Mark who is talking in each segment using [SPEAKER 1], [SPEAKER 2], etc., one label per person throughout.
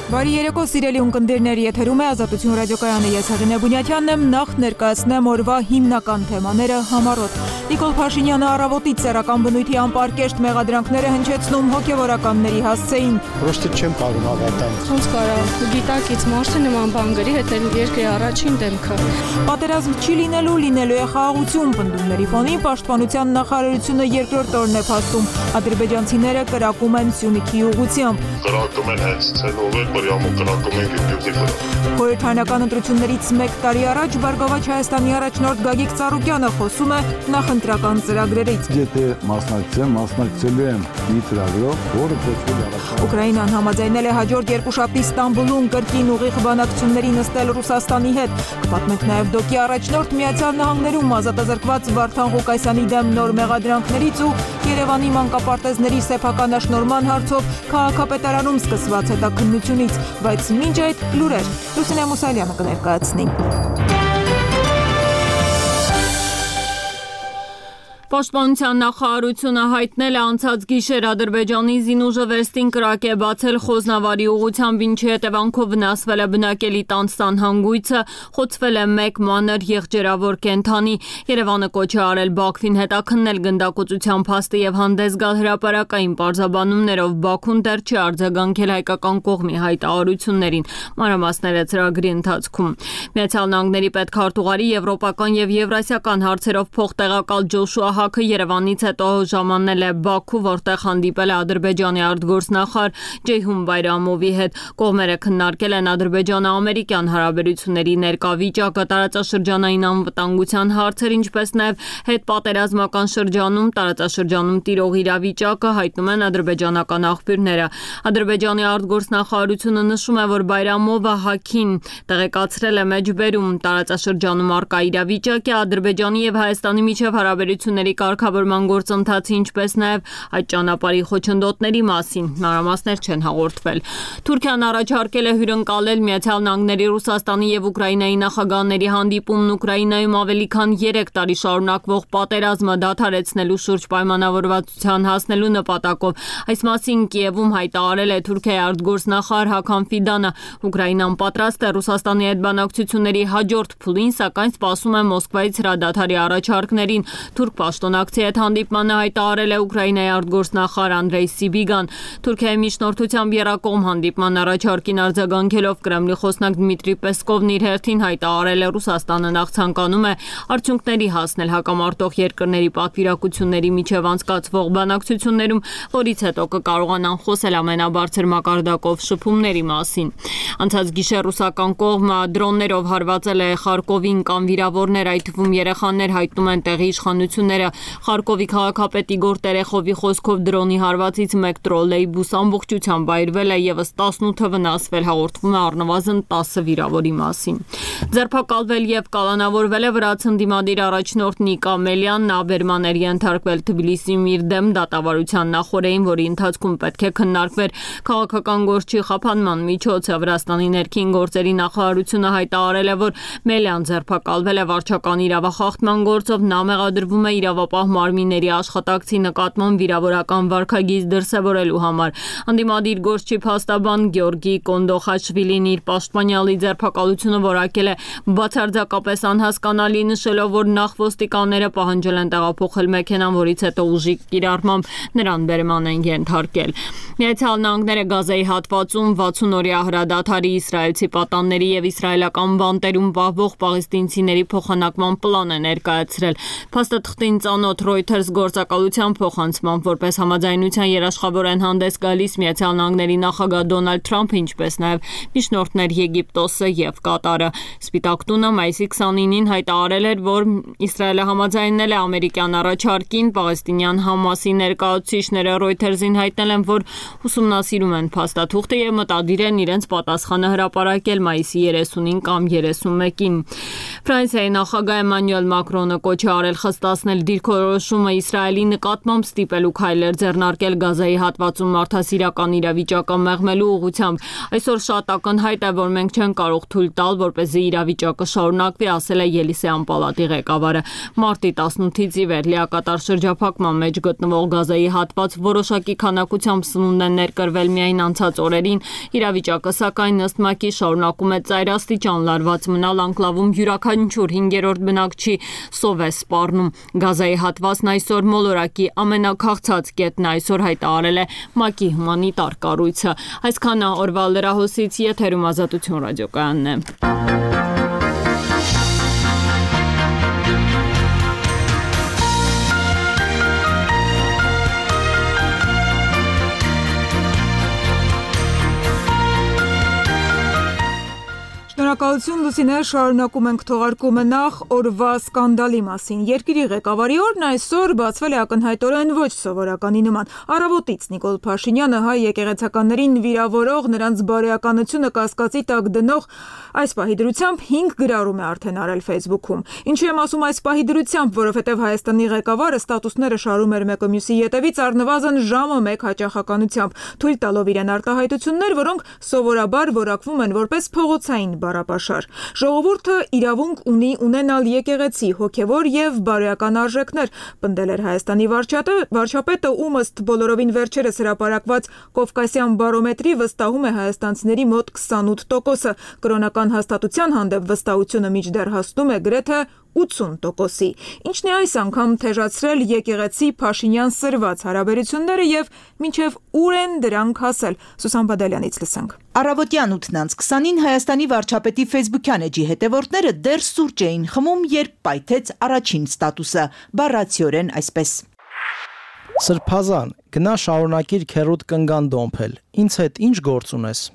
[SPEAKER 1] Բարի երեկո սիրելի ունկնդիրներ, եթերում է Ազատություն ռադիոկայանը, ես Հեղինե Բունյաթյանն եմ, նախ ներկայացնեմ օրվա հիմնական թեմաները համառոտ։ Նիկոլ Փաշինյանը առավոտից սեռական բնույթի անպարկեշտ մեղադրանքները հնչեցնում հոգևորականների հասցեին։
[SPEAKER 2] Պրոստը չեմ կարող հավատալ։
[SPEAKER 3] Ոնց կարող գիտակից մարդը նման բան գրի, հետո երկրի առաջին դեմքը։
[SPEAKER 1] Պատերազմ չի լինելու է խաղաղություն, պնդումների ֆոնին Պաշտպանության նախարարությունը երկրորդ օրն է փաստում, ադրբեջանցիները կրակում են Սյունիքի ուղղությամբ։
[SPEAKER 4] Կրակում են հենց ցենովը, բրյամու կրակում են Գյումրիի վրա։
[SPEAKER 1] Խորհրդարանական ընտրություններից մեկ տարի առաջ Բարգավաճ Հայաստանի առաջնորդ Գագիկ Ծառուկյանը խոսում է նախընտրական ծրագրերից։
[SPEAKER 5] Եթե մասնակցելու եմ մի ծրագրով, որը կոչվում է
[SPEAKER 1] Ուկրաինան համաձայնել է հաջորդ երկուշաբթի Ստամբուլում կրկին ուղիղ բանակցությունների նստել Ռուսաստանի հետ։ Կպատմենք նաև ԴՕԿ-ի առաջնորդ Միացյալ Նահանգներում ազատազրկված Վարդան Ղուկասյանի դեմ նոր մեղադրանքներից ու Երևանի մանկապարտեզների սեփականաշնորհման հարցով քաղաքապետարանում սկսված հետաքննությունից, բայց մինչ այդ լուրեր Լուսինե Մուսալյանը կներկայացնի։ Պաշտպանության նախարարությունը հայտնել է անցած գիշեր Ադրբեջանի զինուժը վերստին կրակ է բացել Խոզնավարի ուղղությամբ, ինչի հետևանքով վնասվել է բնակելի տան սանհանգույցը, խոցվել է մեկ մանր եղջերավոր կենդանի։ Երևանը կոչ է արել Բաքվին հետաքննել գնդակոծության փաստը եւ հանդես գալ հրապարակային պարզաբանումներով։ Բաքուն դեռ չի արձագանքել հայկական կողմի հայտարարություններին, մանրամասները ծրագրի ընթացքում։ Միացյալ Նահանգների պետքարտուղարի եվրոպական եւ եվրասիական հարցերով փոխտեղակալ Ջոշուա Հաքը Երևանից հետո ժամանել է Բաքու, որտեղ հանդիպել է Ադրբեջանի արտգործնախարար Ջեյհուն Բայրամովի հետ։ Կողմերը քննարկել են ադրբեջանա-ամերիկյան հարաբերությունների ներկա վիճակը, տարածաշրջանային անվտանգության հարցեր, ինչպես նաև հետպատերազմական շրջանում տարածաշրջանում տիրող իրավիճակը, հայտնում են ադրբեջանական աղբյուրները։ Ադրբեջանի արտգործնախարարությունը նշում է, որ Բայրամովը Հաքին տեղեկացրել է մեջբերում տարածաշրջանում առկա իրավիճակը, Ադրբեջանի եւ Հայաստանի միջև հարաբերությունների կարգավորման գործընթացի, ինչպես նաև այդ ճանապարհի խոչընդոտների մասին մանրամասներ չեն հաղորդվել։ Թուրքիան առաջարկել է հյուրընկալել Միացյալ Նահանգների, Ռուսաստանի եւ Ուկրաինայի նախագահների հանդիպումն Ուկրաինայում ավելի քան 3 տարի շարունակվող պատերազմը դադարեցնելու շուրջ պայմանավորվածության հասնելու նպատակով։ Այս մասին Կիևում հայտարարել է Թուրքիայի արտգործնախարար Հական Ֆիդանը։ Ուկրաինան պատրաստ է Ռուսաստանի հետ բանակցությունների հաջորդ փուլին, սակայն սպասում է Մոսկվայից հրադադարի առաջարկներին։ Թուրք պաշտոնակցի հետ հանդիպմանը հայտարարել է Ուկրաինայի արտգործնախարար Անդրեյ Սիբիգան։ Թուրքիայի միջնորդությամբ եռակողմ հանդիպման առաջարկին արձագանքելով Կրեմլի խոսնակ Դմիտրի Պեսկովն իր հերթին հայտարարել է Ռուսաստանը նախ ցանկանում է արդյունքների հասնել հակամարտող երկրների պատվիրակությունների միջև անցկացվող բանակցություններում, որից հետո կկարողանան խոսել ամենաբարձր մակարդակով շփումների մասին։ Անցած գիշեր ռուսական կողմը դրոններով հարվածել է Խարկովին կամ վիրավորներ, այդ թվում երեխաներ, հայտնում են տեղի իշխանությունները։ Խարկովի քաղաքապետի Իգոր Տերեխովի խոսքով դրոնի հարվածից մեկ տրոլեյբուս ամբողջությամբ այրվել է, եւս 18-ը վնասվել, հաղորդվում է առնվազն 10 վիրավորի մասին։ Ձերբակալվել եւ կալանավորվել է վրաց ընդդիմադիր առաջնորդ Նիկա Մելյանն, նա բերման էր ենթարկվել Թբիլիսիում իր դեմ դատավարության նախօրեին, որի ընթացքում պետք է քննարկվեր քաղաքական գործի խափանման միջոցը։ Վրաստանի ներքին գործերի նախարարությունը հայտարարել է, որ Մելյան ձերբակալվել է վարչական իրավախախտման գործով, նա մեղադրվում է իրավապահ մարմինների աշխատակցի նկատմամբ վիրավորական վարքագիծ դրսևորելու համար։ Ընդդիմադիր գործչի փաստաբան Գեորգի Կոնդոխաշվիլին իր պաշտպանյալի ձերբակալությունը որակել է բացարձակապես անհասկանալի, նշելով, որ նախ ոստիկանները պահանջել են տեղափոխել մեքենան, որից հետո ուժի կիրառմամբ նրան բերման են ենթարկել։ Միացյալ Նահանգները Գազայի հատվածում 60-օրյա հրադադարի, իսրայելցի պատանների եւ իսրայելական բանտերում պահվող պաղեստինցիների փոխանակման պլան է ներկայացրել։ Փաստաթղթին ծանոթ Reuters գործակալության փոխանցմամբ, որպես համաձայնության երաշխավոր են հանդես գալիս Միացյալ Նահանգների նախագահ Դոնալդ Թրամփը, ինչպես նաև միջնորդներ Եգիպտոսը եւ Կատարը։ Սպիտակ տունը մայիսի 29-ին հայտարարել էր, որ Իսրայելը համաձայնել է ամերիկյան առաջարկին։ Պաղեստինյան Համասի ներկայացուցիչները Reuters-ին հայտնել են, որ ուսումնասիրում են փաստաթուղթը եւ մտադիր են իրենց պատասխանը հրապարակել մայիսի 30-ին կամ 31-ին։ Ֆրանսիայի նախագահ Էմանուել Մակրոնը կոչ է արել խստացնել դիրքորոշումը Իսրայելի նկատմամբ ստիպելու քայլեր ձեռնարկել Գազայի հատվածում մարդասիրական իրավիճակը մեղմելու ուղղությամբ։ Այսօր շատ ակնհայտ է, որ մենք չենք կարող թույլ տալ, որպեսզի իրավիճակը շարունակվի, ասել է Ելիսեյան պալատի ղեկավարը։ Մարտի 18-ից ի վեր լիակատար շրջափակման մեջ գտնվող Գազայի հատված որոշակի քանակությամբ սնունդ հաղորդումն են ներկրվել միայն անցած օրերին։ Իրավիճակը սակայն ըստ ՄԱԿ-ի շարունակում է ծայրաստիճան լարված մնալ, անկլավում յուրաքանչյուր 5-րդ բնակչի սով է սպառնում։ Գազայի հատվածն այսօր մոլորակի ամենաքաղցած կետն այսօր հայտարարել է ՄԱԿ-ի հումանիտար կառույցը։ Այսքանը օրվա լրահոսից, եթերում Ազատություն ռադիոկայանն է։
[SPEAKER 6] Շնորհակալություն Լուսինե, շարունակում ենք թողարկումը նախ օրվա սկանդալի մասին։ Երկրի ղեկավարի օրն այսօր բացվել է ակնհայտորեն ոչ սովորականի նման։ Առավոտից Նիկոլ Փաշինյանը հայ եկեղեցականներին վիրավորող, նրանց բարոյականությունը կասկածի տակ դնող այս պահի դրությամբ 5 գրառում է արդեն արել Facebook-ում։ Ինչու եմ ասում այս պահի դրությամբ, որովհետև Հայաստանի ղեկավարը ստատուսները շարում էր մեկը մյուսի ետևից առնվազն ժամը մեկ հաճախականությամբ, թույլ տալով իրեն արտահայտություններ, որոնք սովորաբար որակվում են որպես փողոցային բառապաշար։ Ժողովուրդը իրավունք ունի ունենալ եկեղեցի, հոգևոր եւ բարոյական արժեքներ, պնդել էր Հայաստանի վարչապետը, ում ըստ բոլորովին վերջերս հրապարակված Կովկասյան բարոմետրի վստահում է հայաստանցիների մոտ 28%-ը, կրոնական հաստատության հանդեպ վստահությունը մինչդեռ հասնում է գրեթե 80%-ի, ինչն է այս անգամ թեժացրել եկեղեցի Փաշինյան սրված հարաբերությունները եւ մինչեւ ուր են դրանք հասել։ Սուսան Բադալյանից լսենք։
[SPEAKER 7] Առավոտյան 8:20-ին Հայաստանի վարչապետի Facebook-յան էջի հետևորդները դեռ սուրճ էին խմում, երբ պայթեց առաջին ստատուսը, բառացիորեն այսպես.
[SPEAKER 8] Սրբազան, գնա շարունակիր քերոտ կնգան դոմփել, ինձ հետ ինչ գործ ունես։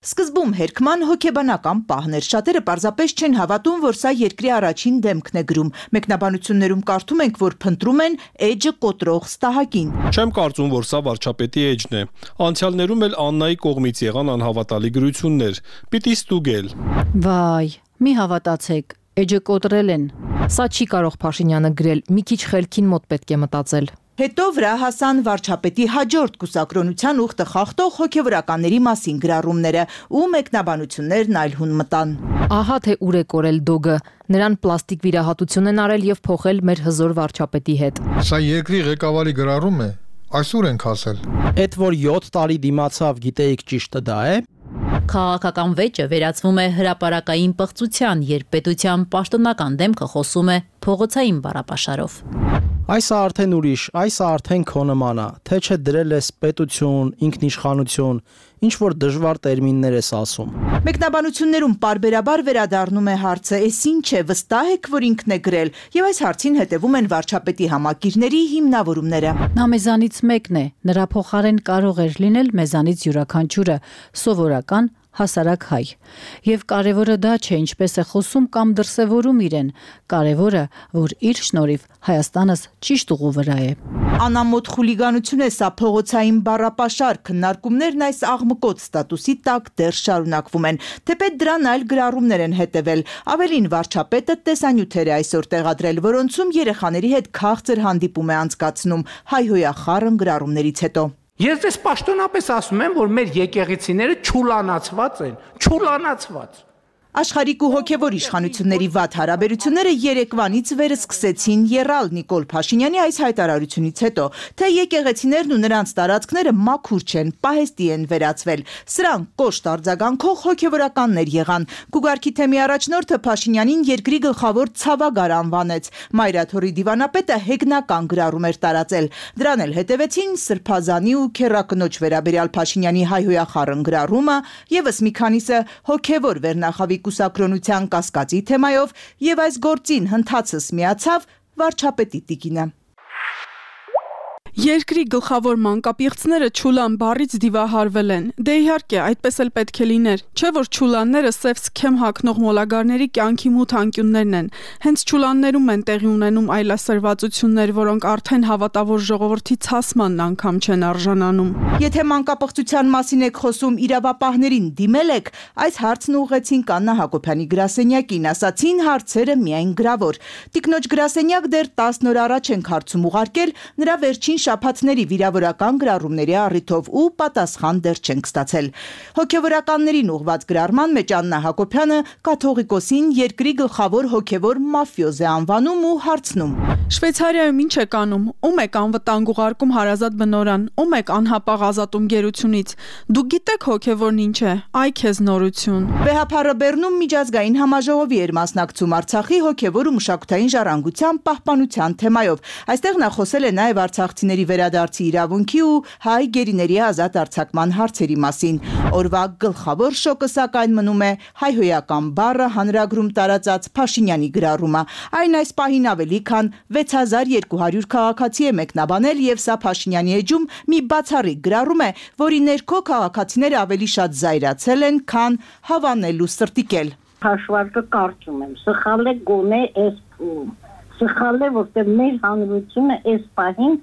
[SPEAKER 7] Սկզբում հերքման հոգեբանական պահներ, շատերը պարզապես չեն հավատում, որ սա երկրի առաջին դեմքն է գրում։ Մեկնաբանություններում կարդում ենք, որ փնտրում են էջը կոտրող ստահակին։
[SPEAKER 9] Չեմ կարծում, որ սա վարչապետի էջն է։ Անցյալներում էլ Աննայի կողմից եղան անհավատալի գրություններ։ Պիտի ստուգել։
[SPEAKER 10] Վայ, մի հավատացեք, էջը կոտրել են։ Սա չի կարող Փաշինյանը գրել, մի քիչ խելքին մոտ պետք է մտածել։
[SPEAKER 7] Հետո վրա հասան վարչապետի հաջորդ կուսակրոնության ուխտը խախտող հոգևորականների մասին գրառումները ու մեկնաբանություններն այլ հուն մտան։
[SPEAKER 10] Ահա թե ուր է կորել դոգը, նրան պլաստիկ վիրահատություն են արել եւ փոխել մեր հզոր վարչապետի հետ։
[SPEAKER 11] Սա երկրի ղեկավարի գրառում է, այսօր ենք հասել։
[SPEAKER 8] Էդ որ 7 տարի դիմացավ, գիտեիք ճիշտը դա է։
[SPEAKER 12] Քաղաքական վեճը վերածվում է հրապարակային պղծության, երբ պետության պաշտոնական դեմքը խոսում է փողոցային բառապաշարով։
[SPEAKER 8] Այս արդեն ուրիշ, այս արդեն քո նմանա, թե չէ դրել ես պետություն, ինքնիշխանություն, ինչ որ դժվար տերմիններ ես ասում։
[SPEAKER 7] Մեկնաբանություններում պարբերաբար վերադառնում է հարցը, էս ինչ է, վստահ եք, որ ինքն է գրել, եւ այս հարցին հետևում են վարչապետի համակիրների հիմնավորումները։
[SPEAKER 10] Նա մեզանից մեկն է, նրա փոխարեն կարող էր լինել մեզանից յուրաքանչյուրը, սովորական հասարակ հայ։ Եվ կարևորը դա չէ, ինչպես է խոսում կամ դրսևորում իրեն, կարևորը, որ իր շնորհիվ Հայաստանս ճիշտ ուղու վրա է։
[SPEAKER 7] Անամոթ խուլիգանություն է սա, փողոցային բառապաշար, քննարկումներն այս աղմկոտ ստատուսի տակ դեռ շարունակվում են, թեպետ դրան այլ գրառումներ են հետևել։ Ավելին, վարչապետը տեսանյութեր է այսօր տեղադրել, որոնցում երեխաների հետ քաղցր հանդիպում է անցկացնում հայհոյախառն գրառումներից հետո։
[SPEAKER 13] Ես դες պաշտոնապես ասում եմ, որ մեր եկեղեցիները չուլանացված են, չուլանացված։
[SPEAKER 7] Աշխարհիկ ու հոգևոր իշխանությունների վատ հարաբերությունները երեկվանից վեր սկսեցին եռալ Նիկոլ Փաշինյանի այս հայտարարությունից հետո, թե եկեղեցիներն ու նրանց տարածքները մաքուր չեն, պահեստի են վերածվել։ Սրանք կոշտ արձագանքող հոգևորականներ եղան։ Գուգարքի թեմի առաջնորդը Փաշինյանին երկրի գլխավոր ցավագար անվանեց։ Մայրաթորի դիվանապետը հեգնական գրառում էր տարածել։ Դրան էլ հետևեցին Սրբազանի ու քեռակնոջ վերաբերյալ Փաշինյանի հայհոյախառն գրառումը, եւս մի քանիսը հոգևոր վերնախավի կուսակրոնության կասկածի թեմայով եւ այս գործին հնդածս միացավ վարչապետի տիկինը։
[SPEAKER 3] Երկրի գլխավոր մանկապիղծները չուլան բառից դիվահարվել են։ Դե իհարկե, այդպես էլ պետք է լիներ։ Չէ որ չուլանները սև սքեմ հագնող մոլագարների կյանքի մութ անկյուններն են։ Հենց չուլաններում են տեղի ունենում այլասերվածություններ, որոնք արդեն հավատավոր ժողովրդի ցասմանն անգամ չեն արժանանում։
[SPEAKER 7] Եթե մանկապղծության մասին եք խոսում, իրավապահներին դիմել եք, այս հարցն ուղղեցին Աննա Հակոբյանի գրասենյակին, ասացին հարցերը միայն գրավոր։ Տիկնոջ գրասենյակ դեռ 10 օր առաջ ենք հարցում ուղարկել, նրա վերջին շաբաթների վիրավորական գրառումների առիթով ու պատասխան դեռ չենք ստացել։ Հոգևորականներին ուղղված գրառման մեջ Աննա Հակոբյանը կաթողիկոսին երկրի գլխավոր հոգևոր մաֆիոզ է անվանում ու հարցնում.
[SPEAKER 3] Շվեյցարիայում ինչ եք անում, ում եք անվտանգ ուղարկում հարազատ բնորան, ում եք անհապաղ ազատում գերությունից, դուք գիտեք հոգևորն ինչ է, այ քեզ նորություն։
[SPEAKER 7] Վեհափառը Բեռնում միջազգային համաժողովի էր մասնակցում Արցախի հոգևոր ու մշակութային ժառանգության պահպանության թեմայով։ Այստեղ նա խոսել է նաև արցախցիների վերադարձի իրավունքի ու հայ գերիների ազատ արձակման հարցերի մասին։ Օրվա գլխավոր շոկը սակայն մնում է հայհոյական բառը հանրագրում տարածած Փաշինյանի գրառումը։ Այն այս պահին ավելի քան 6200 քաղաքացի է մեկնաբանել եւ սա Փաշինյանի էջում մի բացառիկ գրառում է, որի ներքո քաղաքացիները ավելի շատ զայրացել են, քան հավանել ու սրտիկել։
[SPEAKER 14] Հաշվարկը կարծում եմ, սխալ է գոնե այս փուլում։ Սխալ է, որտեղ մեր հանրությունը այս պահին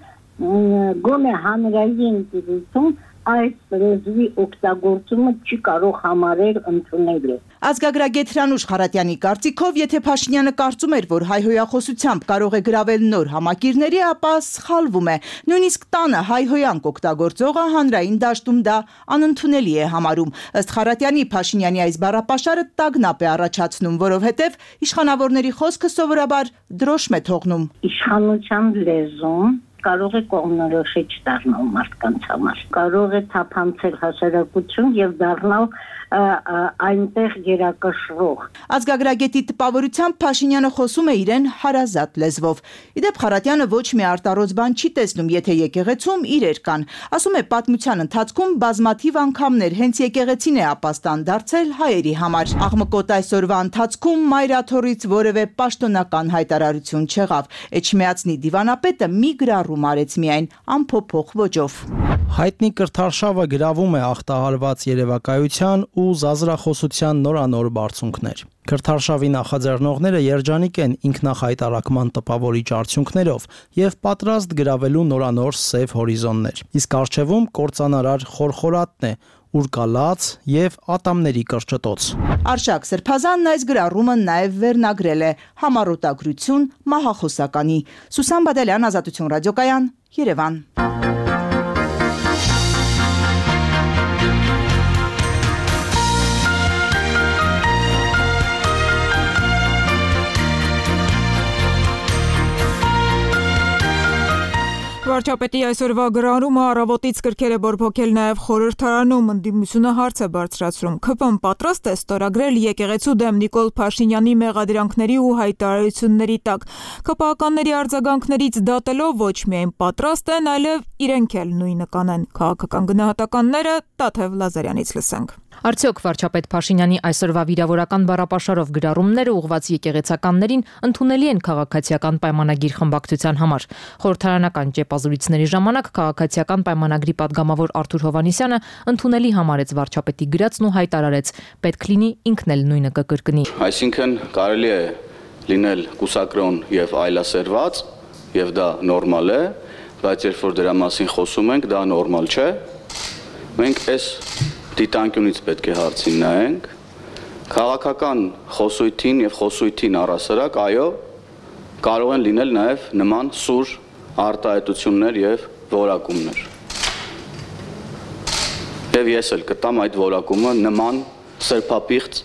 [SPEAKER 14] գոնե հանրային դիրքում այս լեզվի օգտագործումը չի կարող համարել ընդունելի։
[SPEAKER 7] Ազգագրագետ Հրանուշ Խարատյանի կարծիքով, եթե Փաշինյանը կարծում էր, որ հայհոյախոսությամբ կարող է գրավել նոր համակիրների, ապա սխալվում է։ Նույնիսկ տանը հայհոյանք օգտագործողը հանրային դաշտում դա անընդունելի է համարում։ Ըստ Խարատյանի, Փաշինյանի այս բառապաշարը տագնապ է առաջացնում, որովհետև իշխանավորների խոսքը սովորաբար դրոշմ է թողնում։
[SPEAKER 14] Իշխանության լեզուն կարող է կողմնորոշիչ դառնալ մարդկանց համար, կարող է թափանցել հասարակություն եւ դառնալ այնտեղ երակշռող։
[SPEAKER 7] Ազգագրագետի տպավորությամբ Փաշինյանը խոսում է իրեն հարազատ լեզվով։ Իդեպ Խարատյանը ոչ մի արտարոց բան չի տեսնում, եթե եկեղեցում իրեր կան։ Ասում է, պատմության ընթացքում բազմաթիվ անգամներ հենց եկեղեցին է ապաստան դարձել հայերի համար։ Աղմկոտ այսօրվա ընթացքում Մայրաթորից որևէ պաշտոնական հայտարարություն չեղավ։ Էջմիածնի դիվանապետը մի գրառում արեց միայն ամփոփող ոճով։
[SPEAKER 8] Հայտնի կրթարշավը գրավում է ախտահարված երևակայության ու զազրախոսության նորանոր բարձունքներ։ Կրթարշավի նախաձեռնողները երջանիկ են ինքնախայտարակման տպավորիչ արդյունքներով եւ պատրաստ գրավելու նորանոր սև հորիզոններ։ Իսկ արժևում կործանարար խորխորատն է, ուր կա լաց եւ ատամների կրճտոց։
[SPEAKER 7] Արշակ Սրբազանն այս գրառումը նաև վերնագրել է համառոտագրություն մահախոսականի։ Սուսան Բադալյան, Ազատություն ռադիոկայան, Երևան։
[SPEAKER 6] Վարչապետի այսօրվա գրառումը առավոտից կրկել է բորբոքել նաև խորհրդարանում, ընդդիմությունը հարց է բարձրացրում։ ՔՊ-ն պատրաստ է ստորագրել եկեղեցու դեմ Նիկոլ Փաշինյանի մեղադրանքների ու հայտարարությունների տակ։ ՔՊ-ականների արձագանքներից դատելով ոչ միայն պատրաստ են, այլև իրենք էլ նույնը կանեն։ Քաղաքական գնահատականները Տաթև Լազարյանից լսենք։
[SPEAKER 15] Արդյոք վարչապետ Փաշինյանի այսօրվա վիրավորական բառապաշարով գրառումները ուղղված եկեղեցականներին ընդունելի են քաղաքացիական պայմանագիր խմբակցության համար։ Խորհրդարանական ճեպազրույցների ժամանակ քաղաքացիական պայմանագրի падգամավոր Արթուր Հովհաննիսյանը ընդունելի համարեց վարչապետի գրածն ու հայտարարեց. պետք լինի ինքն էլ նույնը կկրկնի։
[SPEAKER 16] Այսինքն կարելի է լինել կուսակրոն եւ այլասերված, եւ դա նորմալ է, բայց երբ որ դրա մասին խոսում ենք, դա նորմալ չէ։ Մենք այս դիտանկյունից պետք է հարցին նայենք, քաղաքական խոսույթին եւ խոսույթին առասարակ, այո, կարող են լինել նաեւ նման սուր արտահայտություններ եւ որակումներ։ Եվ ես էլ կտամ այդ որակումը նման սրբապիղծ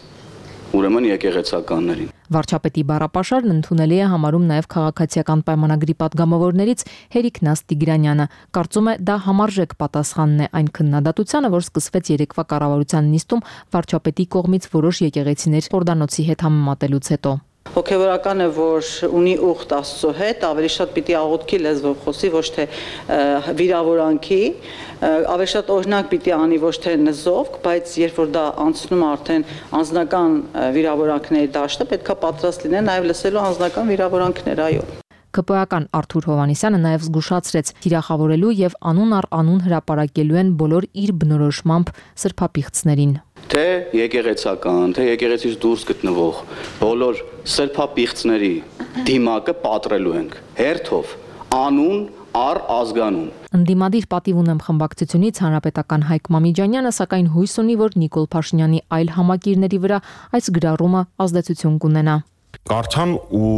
[SPEAKER 16] ուրեմն եկեղեցականներին։
[SPEAKER 15] Վարչապետի բառապաշարն ընդունելի է համարում նաև քաղաքացիական պայմանագրի падգամավորներից Հերիկ Նաս Տիգրանյանը։ Կարծում է, դա համարժեք պատասխանն է այն քննադատությանը, որ սկսվեց երեկվա կառավարության նիստում վարչապետի կողմից որոշ եկեղեցիներ Հորդանոցի հետ համեմատելուց հետո։
[SPEAKER 17] Հոգևորական է, որ ունի ուխտ Աստծո հետ, ավելի շատ պիտի աղոթքի լեզվով խոսի, ոչ թե վիրավորանքի, ավելի շատ օրինակ պիտի անի, ոչ թե նզովք, բայց երբ որ դա անցնում է արդեն անձնական վիրավորանքների դաշտը, պետքա պատրաստ լինեն նաև լսելու անձնական վիրավորանքներ, այո։
[SPEAKER 15] ԿՊԱ-ական Արթուր Հովհաննիսյանը նաև զգուշացրեց, թիրախավորելու եւ անուն առ անուն հրապարակելու են բոլոր իր բնորոշմամբ սրբապիղծներին։
[SPEAKER 16] Թե եկեղեցական, թե եկեղեցից դուրս գտնվող բոլոր սրբապիղծների դիմակը պատրելու ենք հերթով, անուն առ ազգանուն։
[SPEAKER 15] Ընդդիմադիր պատիվ ունեմ խմբակցությունից հանրապետական Հայկ Մամիջանյանը սակայն հույս ունի, որ Նիկոլ Փաշինյանի այլ համակիրների վրա այս գրառումը ազդեցություն կունենա։
[SPEAKER 18] Կարդան ու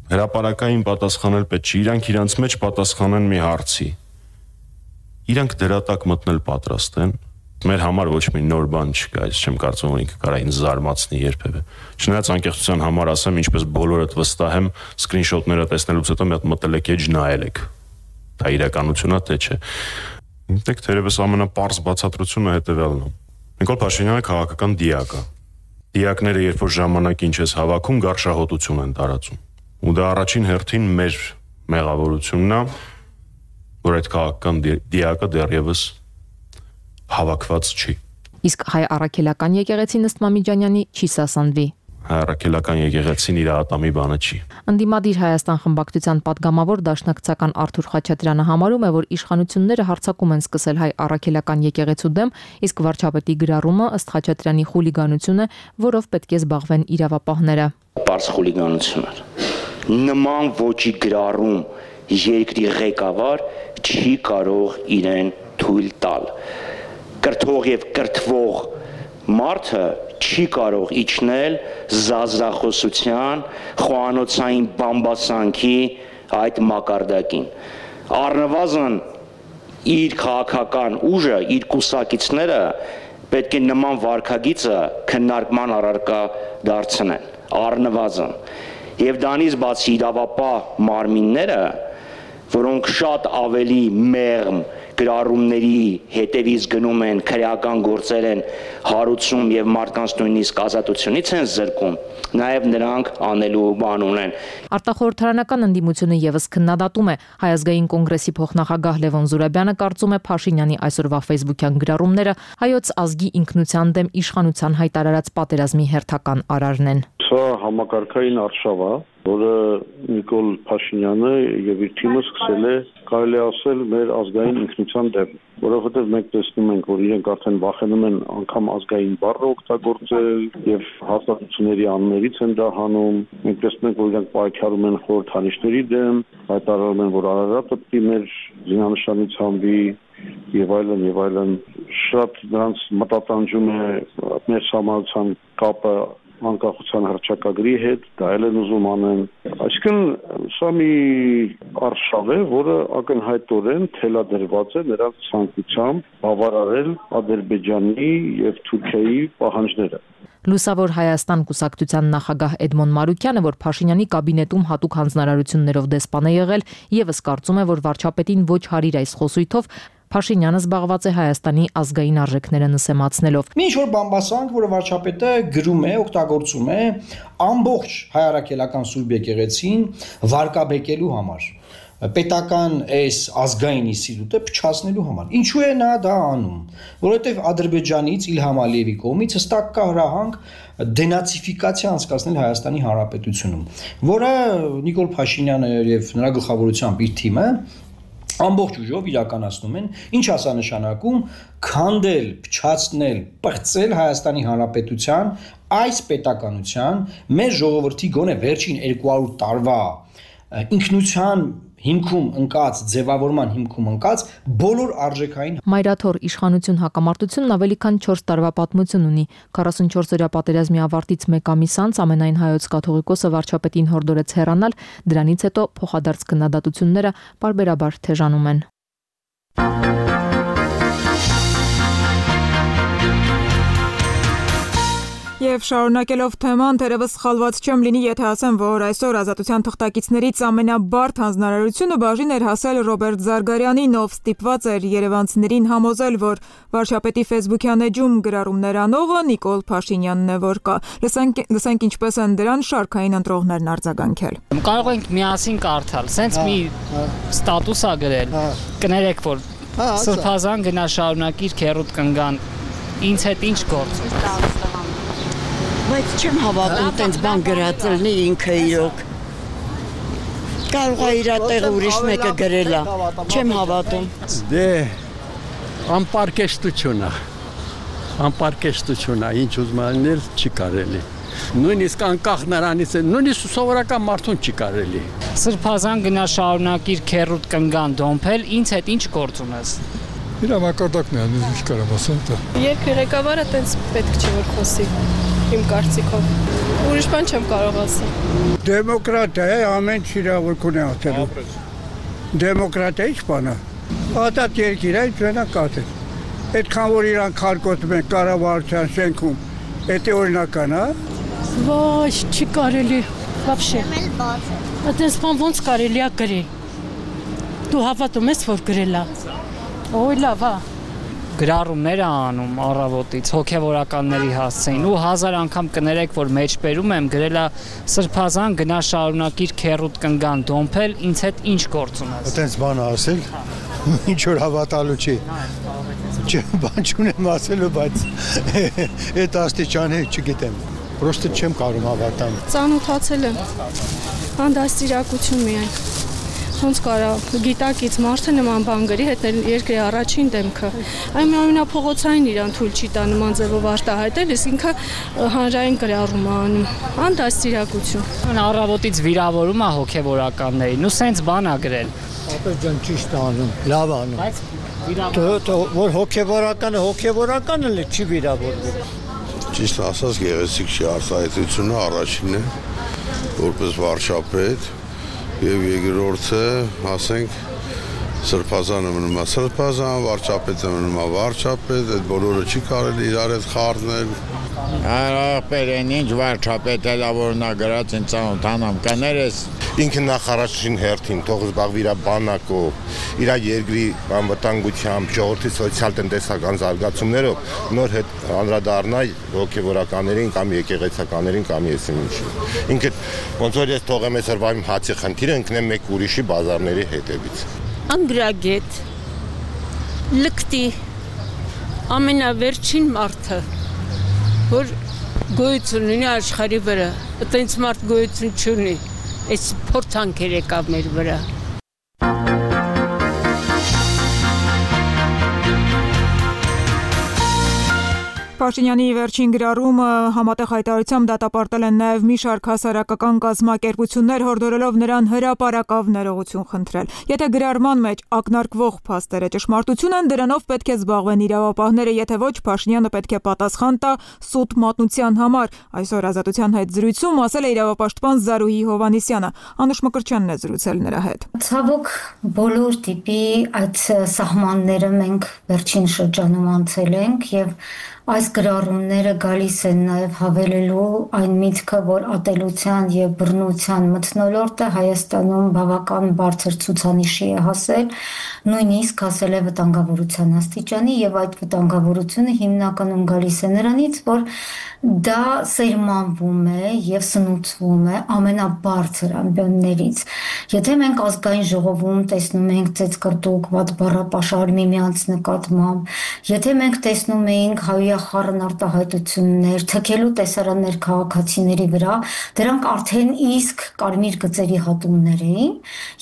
[SPEAKER 18] հրապարակային պատասխանել պետք չի, իրանք իրանց մեջ պատասխանեն մի հարցի։ Իրանք դրա տակ մտնել պատրաստ են։ Մեր համար ոչ մի նոր բան չկա, ես չեմ կարծում, որ ինքը կարա ինձ զարմացնի երբևէ։ Չնայած անկեղծության համար ասեմ, ինչպես բոլորդ վստահ եմ, սկրինշոթները տեսնելուց հետո մի հատ մտել եք էջ նայել եք։ Դա իրականությունա թե չէ։ Ինտեք թերևս ամենապարզ բացատրությունը հետևյալն է։ Նիկոլ Փաշինյանը քաղաքական դիակ է։ Դիակները երբ որ ժամանակին չես հավաքում, գարշահոտություն են տարածում։ Ու դա առաջին հերթին մեր մեղավորությունն է, որ այդ քաղաքական դիակը դեռևս հավաքված չի։
[SPEAKER 15] Իսկ հայ առաքելական եկեղեցին ըստ Մամիջանյանի չի սասանվի։
[SPEAKER 18] Հայ առաքելական եկեղեցին իր ատամի բանը չի։
[SPEAKER 15] Ընդդիմադիր Հայաստան խմբակցության падգամավոր դաշնակցական Արթուր Խաչատրյանը համարում է, որ իշխանությունները հարձակում են սկսել հայ առաքելական եկեղեցու դեմ, իսկ վարչապետի գրառումը ըստ Խաչատրյանի խուլիգանություն է, որով պետք է զբաղվեն իրավապահները։
[SPEAKER 13] Պարզ խուլիգանություն է։ Նման ոճի գրառում երկրի ղեկավար չի կարող իրեն թույլ տալ։ Կրթող եւ կրթվող մարդը չի կարող իջնել զազրախոսության, խոհանոցային բամբասանքի այդ մակարդակին։ Առնվազն իր քաղաքական ուժը, իր կուսակիցները պետք է նման վարքագիծը քննարկման առարկա դարձնեն։ Առնվազն Եվ դրանից բացի իրավապահ մարմինները, որոնք շատ ավելի մեղմ գրառումների հետևից գնում են, քրեական գործեր են հարուցում եւ մարդկանց նույնիսկ ազատությունից են զրկում, նաեւ նրանք անելու բան ունեն։
[SPEAKER 15] Արտախորհրդարանական ընդդիմությունը եւս քննադատում է Հայ ազգային կոնգրեսի փոխնախագահ Լևոն Զուրաբյանը կարծում է Փաշինյանի այսօրվա ֆեյսբուքյան գրառումները հայոց ազգի ինքնության դեմ իշխանության հայտարարած պատերազմի հերթական արարն են։
[SPEAKER 19] Սա համակարգային արշավ է, որը Նիկոլ Փաշինյանը եւ իր թիմը սկսել է, կարելի ասել, մեր ազգային ինքնության դեմ, որովհետեւ մենք տեսնում ենք, որ իրենք արդեն վախենում են անգամ ազգային բառը օգտագործել եւ հաստատությունների անուններից են դա հանում։ Մենք տեսնում ենք, որ իրենք պայքարում են խորհրդանիշների դեմ, հայտարարում են, որ Արարատը պիտի մեր զինանշանից հանվի եւ այլն, շատ նրանց մտատանջում է մեր համալսարան կապը անկախության հռչակագրի հետ, դա էլ են ուզում անեն։ Այսինքն սա մի արշավ է, որը ակնհայտորեն թելադրված է նրանց ցանկությամբ բավարարել Ադրբեջանի եւ Թուրքիայի պահանջները։
[SPEAKER 15] Լուսավոր Հայաստան կուսակցության նախագահ Էդմոն Մարուկյանը, որ Փաշինյանի կաբինետում հատուկ հանձնարարություններով դեսպան է եղել, եւս կարծում է, որ վարչապետին ոչ հարիր այս խոսույթով Փաշինյանը զբաղված է Հայաստանի ազգային արժեքները նսեմացնելով։
[SPEAKER 20] Մի ինչ-որ բամբասանք, որը վարչապետը գրում է, օգտագործում է ամբողջ հայ առաքելական Սուրբ եկեղեցին վարկաբեկելու համար, պետական այս ազգային ինստիտուտը փչացնելու համար։ Ինչու է նա դա անում? Որովհետև Ադրբեջանից Իլհամ Ալիևի կողմից հստակ կա հրահանգ դենացիֆիկացիա անցկացնել Հայաստանի Հանրապետությունում, որը Նիկոլ Փաշինյանը եւ նրա գլխավորությամբ իր թիմը ամբողջ ուժով իրականացնում են, ինչ ասա նշանակում քանդել, փչացնել, պղծել Հայաստանի Հանրապետության այս պետականության մեր ժողովրդի գոնե վերջին 200 տարվա ինքնության հիմքում ընկած, ձևավորման հիմքում ընկած բոլոր արժեքային
[SPEAKER 15] Մայրաթոր իշխանություն հակամարտությունն ավելի քան 4 տարվա պատմություն ունի։ 44-օրյա պատերազմի ավարտից 1 ամիս անց ամենայն հայոց կաթողիկոսը վարչապետին հորդորեց հեռանալ, դրանից հետո փոխադարձ քննադատությունները պարբերաբար թեժանում են։
[SPEAKER 6] Եվ շարունակելով թեման, թերևս սխալված չեմ լինի, եթե ասեմ, որ այսօր ազատության թղթակիցներից ամենաբարդ հանձնարարությունը բաժին էր հասել Ռոբերտ Զարգարյանին, ով ստիպված էր երևանցիներին համոզել, որ վարչապետի ֆեյսբուքյան էջում գրառումներ անողը Նիկոլ Փաշինյանն է, որ կա։ Լսենք ինչպես են դրան շարքային ընտրողներն արձագանքել։
[SPEAKER 21] Կարող ենք միասին կարդալ, սենց մի ստատուս ա գրել, կներեք, որ Սրբազան գնա շարունակիր քերուտ կնգան, ինձ հետ ինչ գործ է։
[SPEAKER 22] Բայց չեմ հավատում տենց բան գրած լինի ինքը իրոք։ Կարող է իր տեղը ուրիշ մեկը գրել է։ Չեմ հավատում։
[SPEAKER 23] Դե անպարկեշտություն է, ինչ ուզում անել չի կարելի։ Նույնիսկ անկախ նրանից է, նույնիսկ սովորական մարդուն չի կարելի։
[SPEAKER 21] Սրբազան գնա շարունակիր քերուտ կնգան դոմփել, ինձ հետ ինչ գործ ունես։
[SPEAKER 11] Իր մակարդակն է, ինչ կարամ ասեմ դա։
[SPEAKER 24] Երկրի ղեկավարը տենց պետք չէ որ խոսի։
[SPEAKER 2] իմ կարծիքով։ Ուրիշ բան չեմ կարող ասել։
[SPEAKER 4] Դեմոկրատիա է, ամեն ինչ իրավունք ունի ասելու։ Դեմոկրատիա ի՞նչ բան է։ Ադատ երկիր է, ինքնանա կատել։ Այդքան որ իրան քարկոտում են կառավարության շենքում, դա օրինական է։
[SPEAKER 5] Ոչ, չի կարելի, вообще։ Այդպես բան ոնց կարելի է գրել։ Դու հավատում ես, որ գրել է։ Ոյ լավ է։
[SPEAKER 21] Գրառումներ անում առավոտից հոգևորականների հասցեին ու 1000 անգամ կներեք, որ մեջբերում եմ գրելա սրբազան գնա շարունակիր քերուտ կնգան դոմփել, ինձ հետ ինչ գործ ունես։
[SPEAKER 24] Այդպես բան ասել, ինչ որ հավատալու չի։ Բան չունեմ ասելու, բայց այդ աստիճանի չգիտեմ։ Պրոստը չեմ կարող հավատամ։
[SPEAKER 2] Ծանոթացել եմ։ Հանդասիրակություն միայն։ Ոնց կարա գիտակից մարդը նման բան գրի, հետ երկրի առաջին դեմքը։ Այն ամենափողոցային իրան թույլ չի տա նման ձևով արտահայտել, իսկ ինքը հանրային գրառում է անում։ Հանդասիրակություն։
[SPEAKER 21] Առավոտից վիրավորում է հոգևորականներին, ու սենց բան է գրել։
[SPEAKER 24] Ապեր ջան ճիշտ անում, լավ անում։ Բայց որ հոգևորականը լի չի վիրավորվում։
[SPEAKER 25] Ճիշտ ասած գեղեցիկ չի արտահայտությունը առաջինն է, որպես վարչապետ եւ երկրորդը, ասենք, սրբազանը մնում է սրբազան, վարչապետը մնում է վարչապետ, այդ բոլորը չի կարելի իրար հետ խառնել։
[SPEAKER 26] Ախպեր են ինչ վարչապետ էլա որ նա գրած են ծանոթանամ կներես
[SPEAKER 27] ինքը նախարարին հերթին թող զբաղվի իր բանակով, իր երկրի անվտանգությամբ, ժողովրդի սոցիալ-տնտեսական զարգացումներով նոր հետ անդրադառնա հոգևորականներին կամ եկեղեցականներին կամ եսին ինչի։ Ինքը ոնց որ ես թողեմ այսօր վայմ հացի խնդիրը ընկնեմ մեկ ուրիշի բազարների հետևից։
[SPEAKER 5] Անգրագետ լկտի ամենավերջին մարդը որ գոյություն ունի աշխարհի վրա, այտենց մարդ գոյություն չունի, այս փորձանքեր եկավ մեր վրա։
[SPEAKER 6] Փաշինյանի վերջին գրառումը համատեղ հայտարարությամբ դատապարտել են նաև մի շարք հասարակական կազմակերպություններ, հորդորելով նրան հրապարակավ ներողություն խնդրել։ Եթե գրառման մեջ ակնարկվող փաստերը ճշմարտություն են, դրանով պետք է զբաղվեն իրավապահները, եթե ոչ, Փաշինյանը պետք է պատասխան տա սուտ մատնության համար։ Այսօր Ազատության հետ զրույցում ասել է իրավապաշտպան Զարուհի Հովհաննիսյանը։ Անուշ Մկրտչյանն է զրուցել նրա հետ։
[SPEAKER 28] Ցավոք բոլոր տիպի այդ սահմանները մենք վերջին շրջանում անցել ենք եւ այս գրառումները գալիս են նաև հավելելու այն միտքը, որ ատելության եւ բռնության մթնոլորտը Հայաստանում բավական բարձր ցուցանիշի է հասել, նույնիսկ հասել է վտանգավորության աստիճանի եւ այդ վտանգավորությունը հիմնականում գալիս է նրանից, որ դա սերմանվում է եւ սնուցվում է ամենաբարձր ամբիոններից։ Եթե մենք ազգային ժողովում տեսնում ենք ծեծկռտուկ վատ բառապաշար միմյանց նկատմամբ, եթե մենք տեսնում ենք հայախառն արտահայտություններ, թքելու տեսարաններ քաղաքացիների վրա, դրանք արդեն իսկ կարմիր գծերի հատումներ էին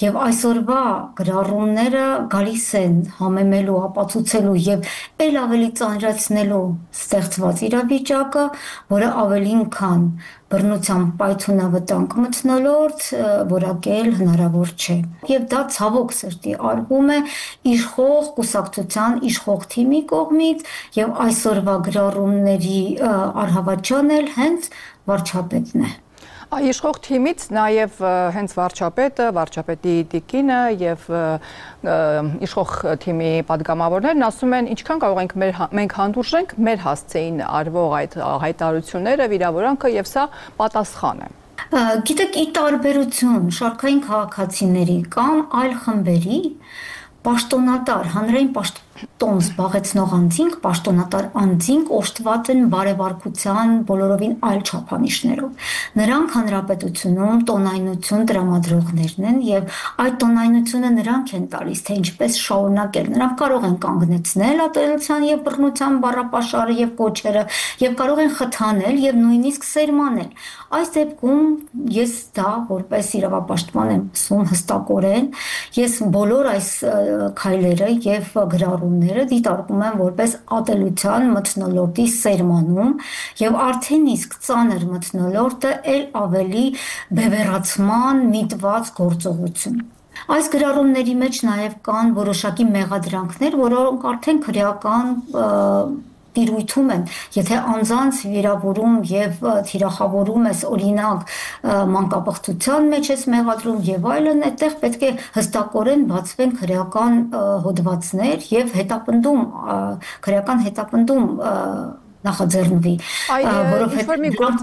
[SPEAKER 28] եւ այսօրվա գրառումները գալիս են համեմելու, ապացուցելու եւ ել ավելի ծանրացնելու ստեղծված իրավիճակը, որը ավելին քան բռնության պայթունավտանգ մթնոլորտ որակել հնարավոր չէ։ Եվ դա ցավոք սրտի արվում է իշխող կուսակցության իշխող թիմի կողմից եւ այսօրվա գրառումների արհավաճան էլ հենց վարչապետն է։
[SPEAKER 29] Իշխող թիմից նաև հենց վարչապետի տիկինը եւ իշխող թիմի падգամավորներն ասում են, ինչքան կարող ենք մենք հանդուրժենք մեր հասցեին արվող այդ հայտարարությունները, վիրավորանքը եւ սա պատասխան է։
[SPEAKER 28] Գիտեք, ի տարբերություն շարքային քաղաքացիների կամ այլ խմբերի պաշտոնատար հանրային պաշտոն զբաղեցնող անձինք, պաշտոնատար անձինք օժտված են բարեվարկության բոլորովին այլ չափանիշներով։ Նրանք հանրապետությունում տոնայնություն տրամադրողներն են եւ այդ տոնայնությունը նրանք են տալիս, թե ինչպես շարունակել։ Նրանք կարող են կանգնեցնել ատելության եւ բռնության բառապաշարը եւ կոչերը եւ կարող են խթանել եւ նույնիսկ սերմանել։ Այս դեպքում ես դա որպես իրավապաշտպան եմ ասում հստակորեն, ես բոլոր այս քայլերը եւ գրառումները դիտարկում եմ որպես ատելության մթնոլորտի սերմանում եւ արդեն իսկ ծանր մթնոլորտը ել ավելի բևեռացման միտված գործողություն։ Այս գրառումների մեջ նաև կան որոշակի մեղադրանքներ, որոնք արդեն քրեական տիրույթում են, եթե անձանց վիրավորում եւ թիրախավորում ես օրինակ մանկապղծության մեջ ես մեղադրում եւ այլն, այդտեղ պետք է հստակորեն բացվեն քրեական հոդվածներ եւ քրեական հետապնդում նախաձեռնվի, որովհետև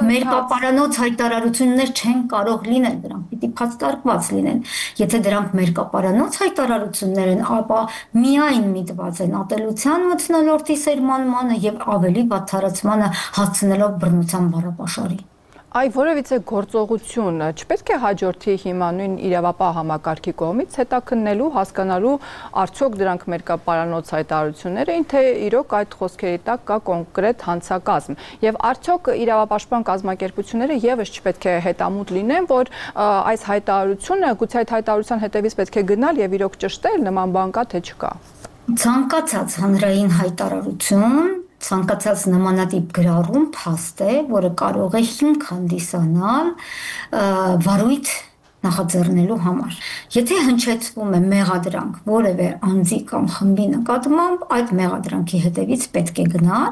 [SPEAKER 28] մեր կապարանոց հայտարարություններ չեն կարող լինել, դրանք պիտի փաստարկված լինեն։ Եթե դրանք մեր կապարանոց հայտարարություններ են, ապա միայն միտված են ատելության մթնոլորտի սերմանմանը եւ ավելի վատթարացմանը հասցնելով բռնության բառապաշարի։
[SPEAKER 29] Այ որևիցե գործողություն չպետք է հաջորդի հիմա նույն իրավապահ համակարգի կողմից հետաքննելու, հասկանալու արդյոք դրանք մեր կապարանոց հայտարարություններ էին, թե իրոք այդ խոսքերի տակ կա կոնկրետ հանցակազմ։ Եվ արդյոք իրավապաշտպան կազմակերպությունները եւս չպետք է հետամուտ լինեն, որ այս հայտարարությունը, գուցե այդ հայտարարության հետևից պետք է գնալ եւ իրոք ճշտել, նման բան կա թե չկա։
[SPEAKER 28] Ցանկացած հանրային հայտարարություն ցանկացած նմանատիպ գրառում փաստ է, որը կարող է հիմք հանդիսանալ վարույթ նախաձեռնելու համար։ Եթե հնչեցվում է մեղադրանք որևէ անձի կամ խմբի նկատմամբ, այդ մեղադրանքի հետևից պետք է գնալ,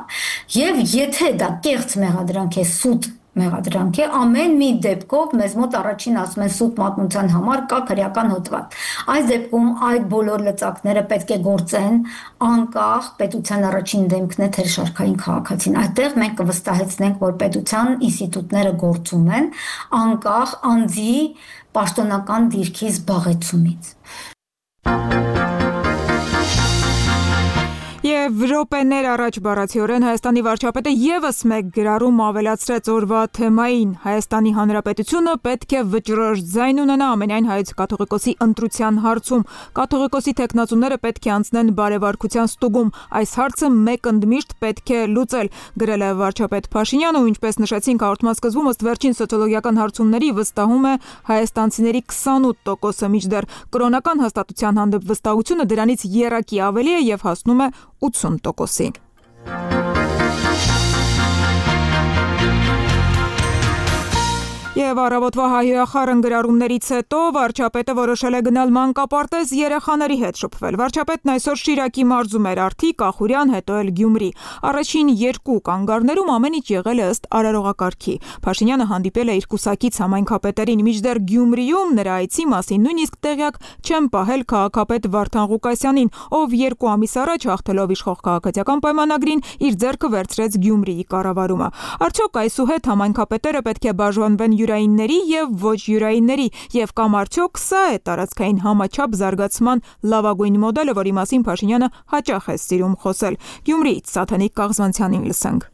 [SPEAKER 28] եւ եթե դա կեղծ մեղադրանք է, սուտ մեղադրանք է, ամեն մի դեպքով մեզ մոտ առաջին ասում են սուտ մատնության համար կա քրեական հոդված։ Այս դեպքում այդ բոլոր լծակները պետք է գործեն անկախ պետության առաջին դեմքն է թե շարքային քաղաքացին։ Այդտեղ մենք կվստահեցնենք, որ պետության ինստիտուտները գործում են անկախ անձի պաշտոնական դիրքի զբաղեցումից։
[SPEAKER 6] Եվ րոպեներ առաջ բառացիորեն Հայաստանի վարչապետը եւս մեկ գրառում ավելացրեց օրվա թեմային. Հայաստանի Հանրապետությունը պետք է վճռորոշ ձայն ունենա ամենայն հայոց կաթողիկոսի ընտրության հարցում։ Կաթողիկոսի թեկնածուները պետք է անցնեն բարեվարկության ստուգում։ Այս հարցը մեկ ընդմիշտ պետք է լուծել, գրել է վարչապետ Փաշինյանը, ու ինչպես նշեցինք հաղորդման սկզբում, ըստ վերջին սոցիոլոգիական հարցումների վստահում է հայաստանցիների 28%-ը, մինչդեռ կրոնական հաստատության հանդեպ վստահությունը դրանից եռակի ավելի է եւ հասնում է 80%-ի։ Եվ առավոտվա հայհոյախառն գրառումներից հետո վարչապետը որոշել է գնալ մանկապարտեզ երեխաների հետ շփվել։ Վարչապետն այսօր Շիրակի մարզում էր արդի, Կախուրյան, հետո էլ Գյումրի։ Առաջին երկու կանգառներում ամեն ինչ եղել է ըստ արարողակարգի։ Փաշինյանը հանդիպել է իր կուսակից համայնքապետերին, մինչդեռ Գյումրիում նրա այցի մասին նույնիսկ տեղյակ չեն պահել քաղաքապետ Վարդան Ղուկասյանին, ով 2 ամիս առաջ հաղթելով իշխող քաղաքացիական պայմանագրին իր ձեռքը վերցրեց Գյումրիի կառավարումը։ Արդյոք այսուհետ համայնքապետերը պետք է բաժանվեն յուրայինների եւ ոչ յուրայինների, եւ կամ արդյոք սա է տարածքային համաչափ զարգացման լավագույն մոդելը, որի մասին Փաշինյանը հաճախ է սիրում խոսել։ Գյումրիից Սաթանիկ Կաղզանցյանին լսենք։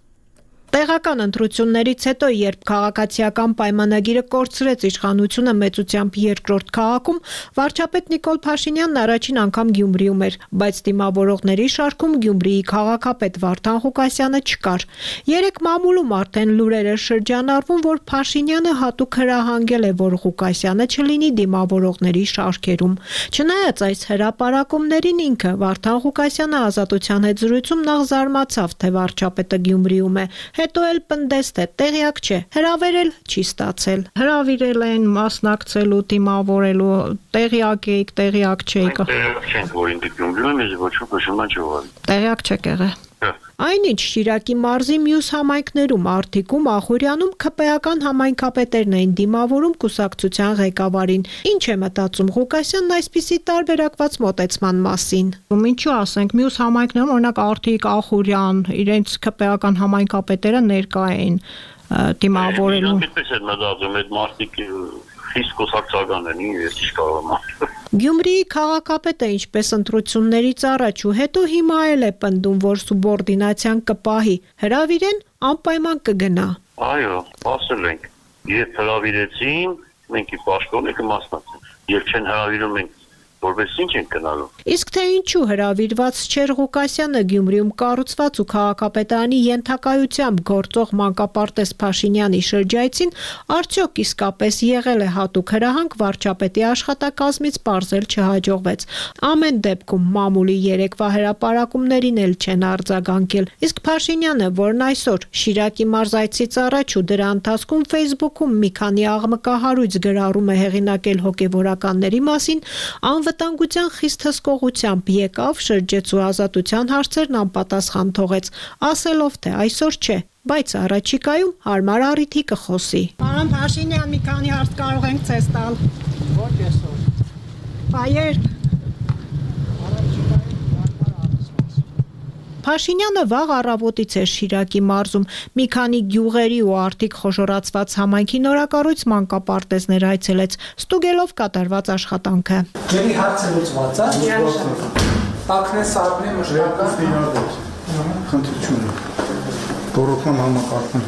[SPEAKER 1] Տեղական ընտրություններից հետո, երբ քաղաքացիական պայմանագիրը կորցրեց իշխանությունը մեծությամբ երկրորդ քաղաքում, վարչապետ Նիկոլ Փաշինյանն առաջին անգամ Գյումրիում էր, բայց դիմավորողների շարքում Գյումրիի քաղաքապետ Վարդան Ղուկասյանը չկար։ Երեք մամուլում արդեն լուրեր է շրջանառվում, որ Փաշինյանը հատուկ հրահանգել է, որ Ղուկասյանը չլինի դիմավորողների շարքերում։ Չնայած այս հրապարակումներին ինքը Վարդան Ղուկասյանը Ազատության հետ զրույցում նախ զարմացավ, թե վարչապետը Գյումրիում է, հետո էլ պնդեստ է, տեղյակ չէ, հրավերել չի ստացել։ Հրավիրել են մասնակցելու, դիմավորելու, տեղյակ եք, տեղյակ չեք։
[SPEAKER 27] Տեղյակ չենք, որ ինքը Գյումրիում է, ոչ ոք ոչ չողալ։
[SPEAKER 1] Տեղյակ չեք եղել։ Այնինչ Շիրակի մարզի մյուս համայնքներում, Արթիկում, Ախուրյանում ՔՊ-ական համայնքապետերն էին դիմավորում կուսակցության ղեկավարին։ Ինչ է մտածում Ղուկասյանն այսպիսի տարբերակված մոտեցման մասին։ Ինչու ասենք, մյուս համայնքներում, օրինակ Արթիկ, Ախուրյան, իրենց ՔՊ-ական համայնքապետերը ներկա էին դիմավորելու։
[SPEAKER 27] Այդպես է մտածում, այդ մարդիկ խիստ կուսակցական են, ես ինչ կարող եմ։
[SPEAKER 1] Գյումրիի քաղաքապետը ինչպես ընտրություններից առաջ ու հետո հիմա էլ է պնդում, որ սուբորդինացիան կպահի, հրավիրեն անպայման կգնա։
[SPEAKER 27] Այո, ասել ենք, երբ հրավիրեցին, մենք ի պաշտոնը կմասնակցենք, երբ չեն հրավիրում ենք որպես ինչ են գնալու։
[SPEAKER 1] Իսկ թե ինչու հրավիրված չէր Ղուկասյանը Գյումրիում կառուցված ու քաղաքապետարանի ենթակայությամբ գործող մանկապարտեզ Փաշինյանի շրջայցին, արդյոք իսկապես եղել է հատուկ հրահանգ, վարչապետի աշխատակազմից պարզել չհաջողվեց։ Ամեն դեպքում մամուլի երեկվա հրապարակումներին էլ չեն արձագանքել։ Իսկ Փաշինյանը, որն այսօր Շիրակի մարզայցից առաջ ու դրա ընթացքում Facebook-ում մի քանի աղմկահարույց գրառում է հեղինակել հոգևորականների մասին, Անվտանգության խիստ հսկողությամբ եկավ, շրջեց ու ազատության հարցերն անպատասխան թողեց, ասելով թե այսօր չէ, բայց առաջիկայում հարմար առիթի կխոսի։
[SPEAKER 3] Պարոն Փաշինյան, մի քանի հարց կարող ենք ցես տալ։ Ոչ այսօր։ Բայեր
[SPEAKER 1] Փաշինյանը վաղ առավոտից էր Շիրակի մարզում, մի քանի գյուղերի ու արդիկ խոշորացված համայնքի նորակառույց մանկապարտեզներ այցելեց, ստուգելով կատարված աշխատանքը։
[SPEAKER 13] Ջրի հարցը լուծված է։ Տակնե սարնի մշտական։
[SPEAKER 24] Խնդրություն։ Տորոքման համակարգն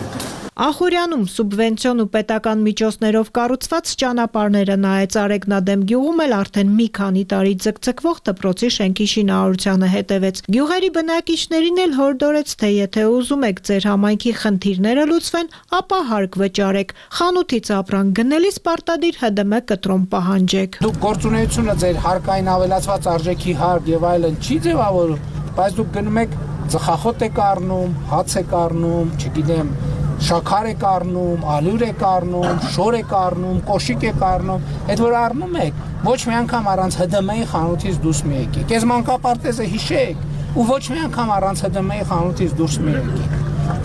[SPEAKER 1] Ախուրյանում սուբվենցիոն ու պետական միջոցներով կառուցված ճանապարհները նայեց Արեգնադեմ գյուղում էլ արդեն մի քանի տարի ձգձգվող դպրոցի շենքի շինարարությանը հետևեց։ Գյուղերի բնակիչներին էլ հորդորեց, թե եթե ուզում եք ձեր համայնքի խնդիրները լուծվեն, ապա հարկ վճարեք։ Խանութից ապրանք գնելիս պարտադիր ՀԴՄ կտրոն պահանջեք։
[SPEAKER 13] Դուք գործունեությունը ձեր հարկային ավելացված արժեքի հարկ եւ այլն չի ձևավորում, բայց դուք գնում եք ծխախոտ եք առնում, հաց եք առնում, չգիտեմ շաքար եք առնում, ալյուր եք առնում, շոր եք առնում, կոշիկ եք առնում, այդ որ առնում եք, ոչ մի անգամ առանց ՀԴՄ-ի խանութից դուրս մի եկեք։ Այս մանկապարտեզը հիշեք, ու ոչ մի անգամ առանց ՀԴՄ-ի խանութից դուրս մի եկեք։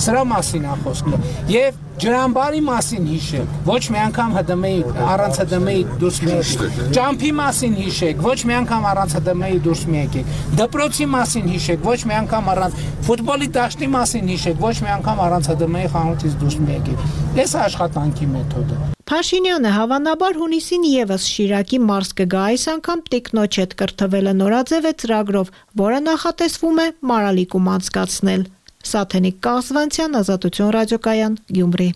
[SPEAKER 13] Սրա մասին է խոսքը։ Եվ ջրամբարի մասին հիշեք, ոչ մի անգամ ՀԴՄ-ի առանց ՀԴՄ-ի դուրս մի եկեք։ Ճամփի մասին հիշեք, ոչ մի անգամ առանց ՀԴՄ-ի դուրս մի եկեք։ Դպրոցի մասին հիշեք, ոչ մի անգամ առանց ֆուտբոլի դաշտի մասին հիշեք, ոչ մի անգամ առանց ՀԴՄ-ի խանութից դուրս մի եկեք։ Այս է աշխատանքի մեթոդը։
[SPEAKER 1] Փաշինյանը հավանաբար հունիսին եւս Շիրակի մարզ կգա, այս անգամ տիկնոջ հետ կրթվելը նորաձև է ծրագրով, որը նախատեսվում է Մարալիկում անցկացնել։ Սաթենիկ Կազվանցյան, Ազատություն ռադիոկայան, Գյումրի։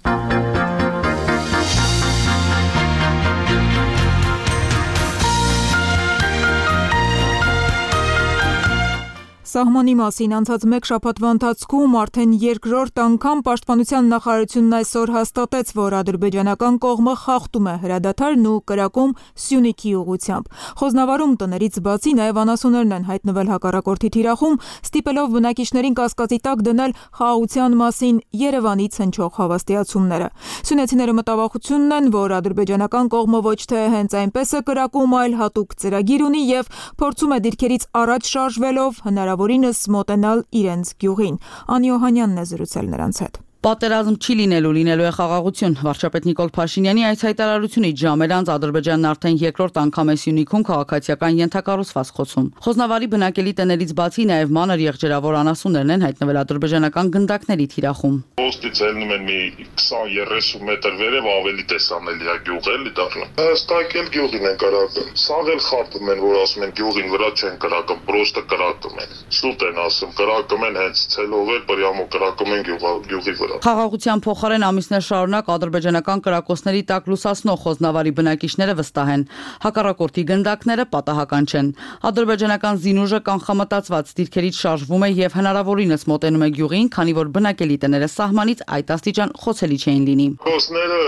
[SPEAKER 6] Սահմանի մասին անցած մեկ շաբաթվա ընթացքում արդեն երկրորդ անգամ Պաշտպանության նախարարությունն այսօր հաստատեց, որ ադրբեջանական կողմը խախտում է հրադադարն ու կրակում Սյունիքի ուղղությամբ։ Խոսնավարում տներից բացի նաև անասուններն են հայտնվել հակառակորդի թիրախում, ստիպելով բնակիչներին կասկածի տակ դնել խաղաղության մասին Երևանից հնչող հավաստիացումները։ Սյունեցիները մտավախությունն են, որ ադրբեջանական կողմը ոչ թե հենց այնպես է կրակում, այլ հատուկ ծրագիր ունի եւ փորձում է դիրքերից առաջ շարժվելով հնարավորինս մոտենալ իրենց գյուղին։ Անի Օհանյանն է զրուցել նրանց հետ։
[SPEAKER 7] Պատերազմ չի լինելու է խաղաղություն։ Վարչապետ Նիկոլ Փաշինյանի այս հայտարարությունից ժամեր անց Ադրբեջանն արդեն երկրորդ անգամ է Սյունիքում քաղաքացիական ենթակառուցվածք խոցում։ Խոսնավարի բնակելի տներից բացի նաև մանր եղջերավոր անասուններն են հայտնվել ադրբեջանական գնդակների թիրախում։
[SPEAKER 8] Ոստից ելնում են մի 20-30 մետր վերև ավելի տեսանելի է գյուղ էլի դառնում։ Հստակ էլ գյուղին են կրակում։ Սաղ էլ խաբում են, որ ասում են գյուղին վրա չեն կրակում, պրոստը կրակում են։ Սուտ են ասում, կրակում են հենց ցելով էլ պրյամո կրակում են գյուղի վրա։
[SPEAKER 7] Խաղաղության փոխարեն ամիսներ շարունակ ադրբեջանական կրակոցների տակ լուսացնող Խոսնավարի բնակիչները վստահ են։ Հակառակորդի գնդակները պատահական չեն։ Ադրբեջանական զինուժը կանխամտածված դիրքերից շարժվում է եւ հնարավորինս մոտենում է գյուղին, քանի որ բնակելի տները սահմանից այդ աստիճան խոցելի չէին լինի։
[SPEAKER 8] Խոսները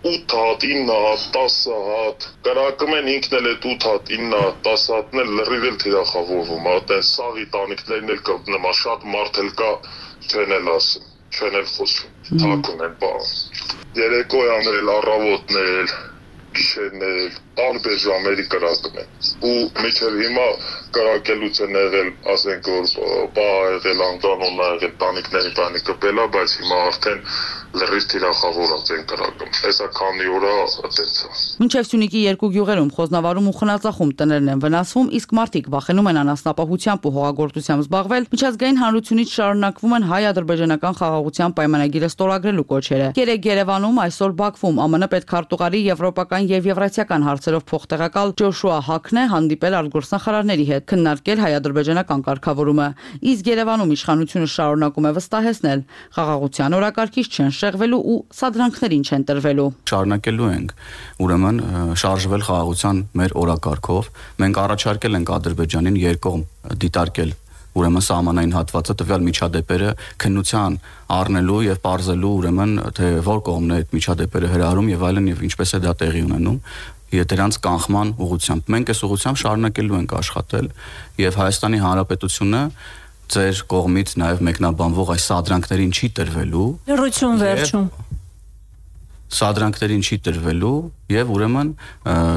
[SPEAKER 8] 8 հատ, 9 հատ, 10 հատ, կրակում են ինքն էլ այդ 8 հատ, 9 հատ, 10 հատն էլ լրիվ էլ թիրախավորվում, այդեն սաղի տանիքներն էլ կա, նմա շատ մարդ էլ կա, չեն էլ ասում, չեն էլ խոսում, թակուն են բան։ Երեկոյան էլ, առավոտն էլ, գիշերն էլ, տարբեր ժամերի կրակում են։ Ու միջև հիմա կրակելուց են եղել, ասենք որ բա եղել, անկանոն եղել, տանիքների բանի կպելա, բայց հիմա արդեն լրիվ թիրախավորած են կրակում։ Հեսա քանի օր է այդեցա։
[SPEAKER 7] Մինչև Սյունիքի երկու գյուղերում Խոսնավարում ու Խնածախում տներն են վնասվում, իսկ մարդիկ վախենում են անասնապահությամբ ու հողագործությամբ զբաղվել։ Միջազգային հանրությունից շարունակվում են հայ-ադրբեջանական խաղաղության պայմանագիրը ստորագրելու կոչերը։ Երեկ Երևանում, այսօր Բաքվում ԱՄՆ պետքարտուղարի եվրոպական եւ եվրասիական հարցերով փոխտեղակալ Ջոշուա Հաքն է հանդիպել արտգործնախարարների հետ, քննարկել հայ-ադրբեջանական կարգավորումը։ Իսկ Երևանում իշխանությունը շարունակում է վստահեցնել, խաղաղության օրակարգից չեն շեղվելու ու սադրանքներին չեն տրվելու։
[SPEAKER 9] Շարունակելու ենք, ուրեմն շարժվել խաղաղության մեր օրակարգով։ Մենք առաջարկել ենք Ադրբեջանին երկկողմ դիտարկել ուրեմն սահմանային հատվածը տվյալ միջադեպերը քննության առնելու եւ բարձելու ուրեմն թե որ կողմն է այդ միջադեպերը հրահրում եւ այլն եւ ինչպես է դա տեղի ունենում դրանց կանխման ուղղությամբ։ Մենք այս ուղղությամբ շարունակելու ենք աշխատել եւ Հայաստանի Հանրապետությունը ձեր կողմից նաեւ մեկնաբանվող այս սադրանքներին չի տրվելու։
[SPEAKER 6] Լրություն վերջում։
[SPEAKER 9] Սադրանքներին չի տրվելու եւ ուրեմն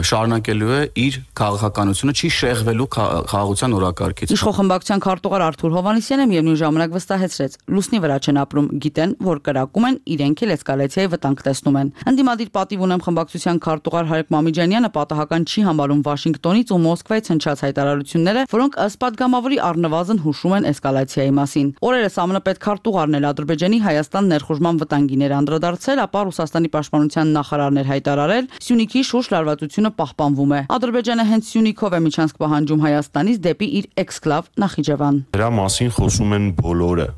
[SPEAKER 9] շարունակելու է իր քաղաքականությունը, չի շեղվելու խաղաղության օրակարգից։
[SPEAKER 7] Իշխող խմբակցության քարտուղար Արթուր Հովհաննիսյանը միևնույն ժամանակ վստահեցրեց, լուսնի վրա չեն ապրում, գիտեն, որ կրակում են, իրենք էլ էսկալացիայի վտանգ տեսնում են։ Ընդդիմադիր պատիվ ունեմ խմբակցության քարտուղար Հարիկ Մամիջանյանը պատահական չի համարում Վաշինգտոնից ու Մոսկվայից հնչած հայտարարությունները, որոնք ըստ падգամավորի առնվազն հուշում են էսկալացիայի մասին։ Օրերս ԱՄՆ պետքարտուղարն էլ Ադրբեջանի Հայաստան ներխուժման վտանգին էր անդրադարձել, ապա Ռուսաստանի պաշտպանության նախարարն էր հայտարարել, Սյունիքի շուրջ լարվածությունը պահպանվում է։ Ադրբեջանը հենց Սյունիքով է միջանցք պահանջում Հայաստանից դեպի իր էքսկլավ Նախիջևան։
[SPEAKER 10] Դրա մասին խոսում են բոլորը։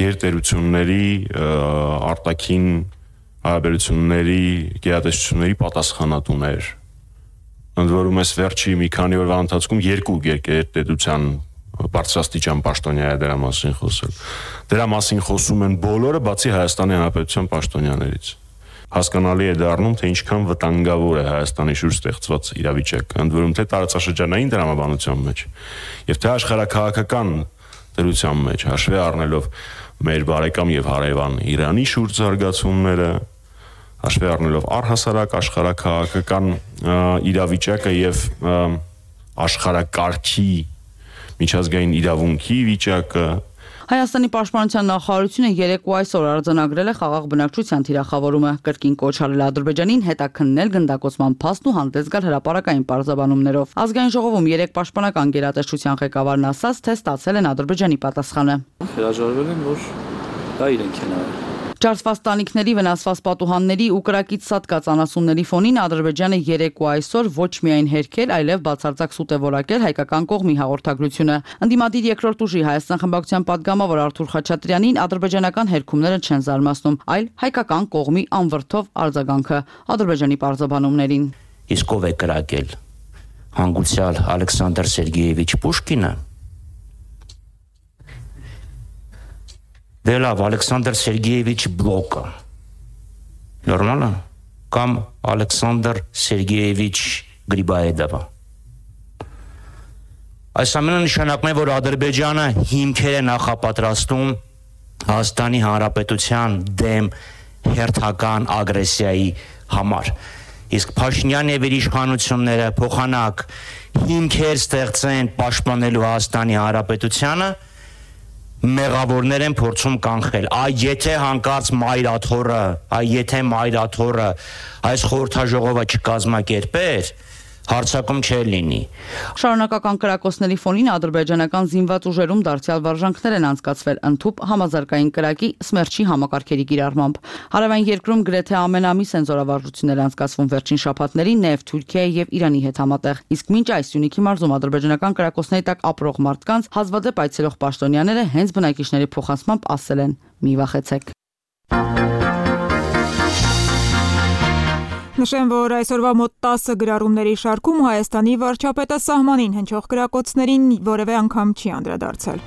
[SPEAKER 10] Գերտերությունների, արտաքին հարաբերությունների, գերատեսչությունների պատասխանատուներ։ Ընդ որում այս վերջի մի քանի օրվա ընթացքում երկու գերտերության բարձրաստիճան պաշտոնյա է դրա մասին խոսել։ Դրա մասին խոսում են բոլորը, բացի Հայաստանի Հանրապետության պաշտոնյաներից։ Հասկանալի է դառնում, թե ինչքան վտանգավոր է Հայաստանի շուրջ ստեղծված իրավիճակը, ընդ որում թե տարածաշրջանային դրամաբանության մեջ եւ թե աշխարհաքաղաքական դրության մեջ, հաշվի առնելով մեր բարեկամ եւ հարևան Իրանի շուրջ զարգացումները, հաշվի առնելով առհասարակ աշխարհաքաղաքական իրավիճակը եւ աշխարհակարգի միջազգային իրավունքի վիճակը։
[SPEAKER 7] Հայաստանի պաշտպանության նախարարությունը երեկո այսօր արձանագրել է խաղաղ բնակչության թիրախավորումը, կրկին կոչ արել Ադրբեջանին հետաքննել գնդակոծման փաստն ու հանդես գալ հրապարակային պարզաբանումներով։ Ազգային ժողովում երեք պաշտպանական գերատեսչության ղեկավարն ասաց, թե ստացել են Ադրբեջանի պատասխանը։
[SPEAKER 12] Հրաժարվել են, որ դա իրենք են արել։
[SPEAKER 7] Ջարդված տանիքների, վնասված պատուհանների ու կրակից սատկած անասունների ֆոնին Ադրբեջանը երեկո այսօր ոչ միայն հերքել, այլև բացարձակ սուտ է որակել հայկական կողմի հաղորդագրությունը։ Ընդդիմադիր երկրորդ ուժի Հայաստան խմբակցության падգամավոր Արթուր Խաչատրյանին ադրբեջանական հերքումները չեն զարմացնում, այլ հայկական կողմի անվրդով արձագանքը Ադրբեջանի պարզաբանումներին։
[SPEAKER 14] Իսկ ով է կրակել։ Հանգուցյալ Ալեքսանդր Սերգեևիչ Պուշկինը։ Դե լավ, Ալեքսանդր Սերգեևիչ Բլոկը։ Նորմալ է։ Կամ Ալեքսանդր Սերգեևիչ Գրիբաեդովը։ Այս ամենը նշանակում է, որ Ադրբեջանը հիմքեր է նախապատրաստում Հայաստանի Հանրապետության դեմ հերթական ագրեսիայի համար։ Իսկ Փաշինյանն եւ իր իշխանությունները փոխանակ հիմքեր ստեղծեն պաշտպանելու Հայաստանի Հանրապետությանը, մեղավորներ են փորձում կանխել։ Եթե հանկարծ եթե Մայրաթորը այս խորհրդաժողովը չկազմակերպեր, հարցակում չէր լինի։
[SPEAKER 7] Շարունակական կրակոցների ֆոնին ադրբեջանական զինված ուժերում դարձյալ վարժանքներ են անցկացվել ընդհուպ համազարգային կրակի սմերչի համակարգերի կիրառմամբ։ Հարավային երկրում գրեթե ամեն ամիս են զորավարժություններ անցկացվում վերջին շաբաթներին նաև Թուրքիայի եւ Իրանի հետ համատեղ։ Իսկ մինչ այս Սյունիքի մարզում ադրբեջանական կրակոցների տակ ապրող մարդկանց հազվադեպ այցելող պաշտոնյաները հենց բնակիչների փոխանցմամբ ասել են՝ մի վախեցեք։
[SPEAKER 6] Նշեմ, որ այսօրվա մոտ 10 գրառումների շարքում Հայաստանի վարչապետը սահմանին հնչող կրակոցներին որևէ անգամ չի անդրադարձել։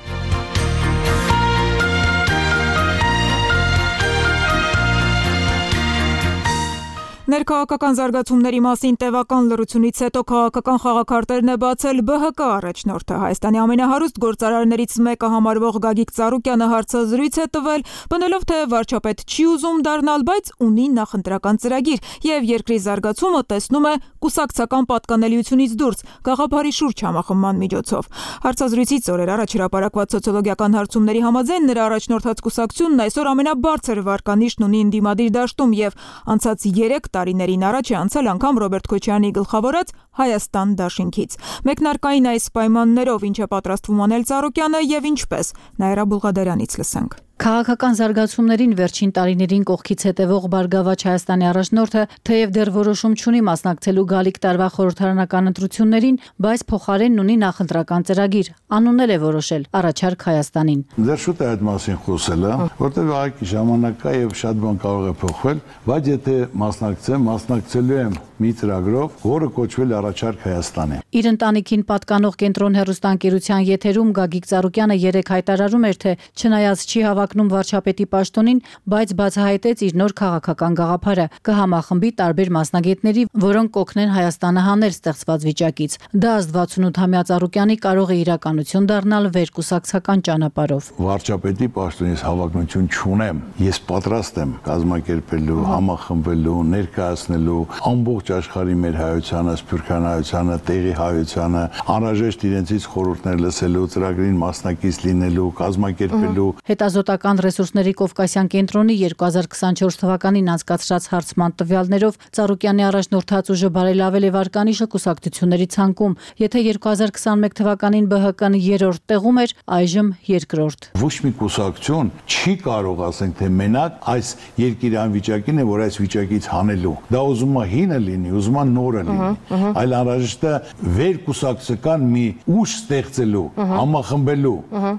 [SPEAKER 6] Ներքաղաքական զարգացումների մասին տևական լռությունից հետո քաղաքական խաղաքարտերն է բացել ԲՀԿ առաջնորդը։ Հայաստանի ամենահարուստ գործարարներից մեկը համարվող Գագիկ Ծառուկյանը հարցազրույց է տվել, բնելով թե վարչապետ չի ուզում դառնալ, բայց ունի նախընտրական ծրագիր եւ երկրի զարգացումը տեսնում է կուսակցական պատկանելիությունից դուրս գաղափարի շուրջ համախմբման միջոցով։ Հարցազրույցից օրեր առաջ հրապարակված սոցիոլոգիական հարցումների համաձայն նրա առաջնորդած կուսակցությունն այսօր ամենաբարձր վարկանիշն ունի ընդդիմադիր դաշտում եւ անցած 3 տարիներին առաջ է անցել անգամ Ռոբերտ Քոչարյանի գլխավորած Հայաստան դաշինքից։ Մեկնարկային այս պայմաններով ինչ է պատրաստվում անել Ծառուկյանը եւ ինչպես, Նաիրա Բուլղադարյանից լսենք։
[SPEAKER 15] Քաղաքական զարգացումներին վերջին տարիներին կողքից հետևող Բարգավաճ Հայաստանի առաջնորդը թեև դեռ որոշում չունի մասնակցելու գալիք տարվա խորհրդարանական ընտրություններին, բայց փոխարենն ունի նախընտրական ծրագիր, անուններ է որոշել առաջարկ Հայաստանին։
[SPEAKER 16] Դեռ շուտ է այդ մասին խոսելը, որտեղ այգի ժամանակ կա եւ շատ բան կարող է փոխվել, բայց եթե մասնակցեմ, մասնակցելու եմ մի ծրագրով, որը կոչվել է Առաջարկ Հայաստանի։
[SPEAKER 15] Իր ընտանիքին պատկանող Կենտրոն հեռուստաընկերության եթերում Գագիկ Ծառուկյանը երեկ հայտարարում էր, թե չնայած չի հավակնում վարչապետի պաշտոնին, բայց բացահայտեց իր նոր քաղաքական գաղափարը, կհամախմբի տարբեր մասնագետների, որոնք կօգնեն Հայաստանը հանել ստեղծված վիճակից։ Դա ըստ 68-ամյա Ծառուկյանի կարող է իրականություն դառնալ վերկուսակցական ճանապարհով։
[SPEAKER 16] Վարչապետի պաշտոնից հավակնություն չունեմ, ես պատրաստ եմ կազմակերպելու, համախմբելու, ներկայացնելու ամբողջ աշխարհի մեր հայությանը, սփյուռքյան հայությանը, տեղի հայությանը, անհրաժեշտ իրենցից խորհուրդներ լսելու, ծրագրին մասնակից լինելու, կազմակերպելու։
[SPEAKER 15] Հետազոտական ռեսուրսների Կովկասյան կենտրոնի 2024 թվականին անցկացրած հարցման տվյալներով Ծառուկյանի առաջնորդած ուժը բարելավել է վարկանիշը կուսակցությունների ցանկում, եթե 2021 թվականին ԲՀԿ-ն 3-րդ տեղում էր, այժմ 2-րդ։
[SPEAKER 16] Ոչ մի կուսակցություն չի կարող ասենք թե մենակ այս երկիրի անվիճակին է, որ այս վիճակից հանելու։ Դա ուզում է հինը լինի, ուզում է նորը լինի, այլ անհրաժեշտ է վերկուսակցական մի ուժ ստեղծելու, համախմբելու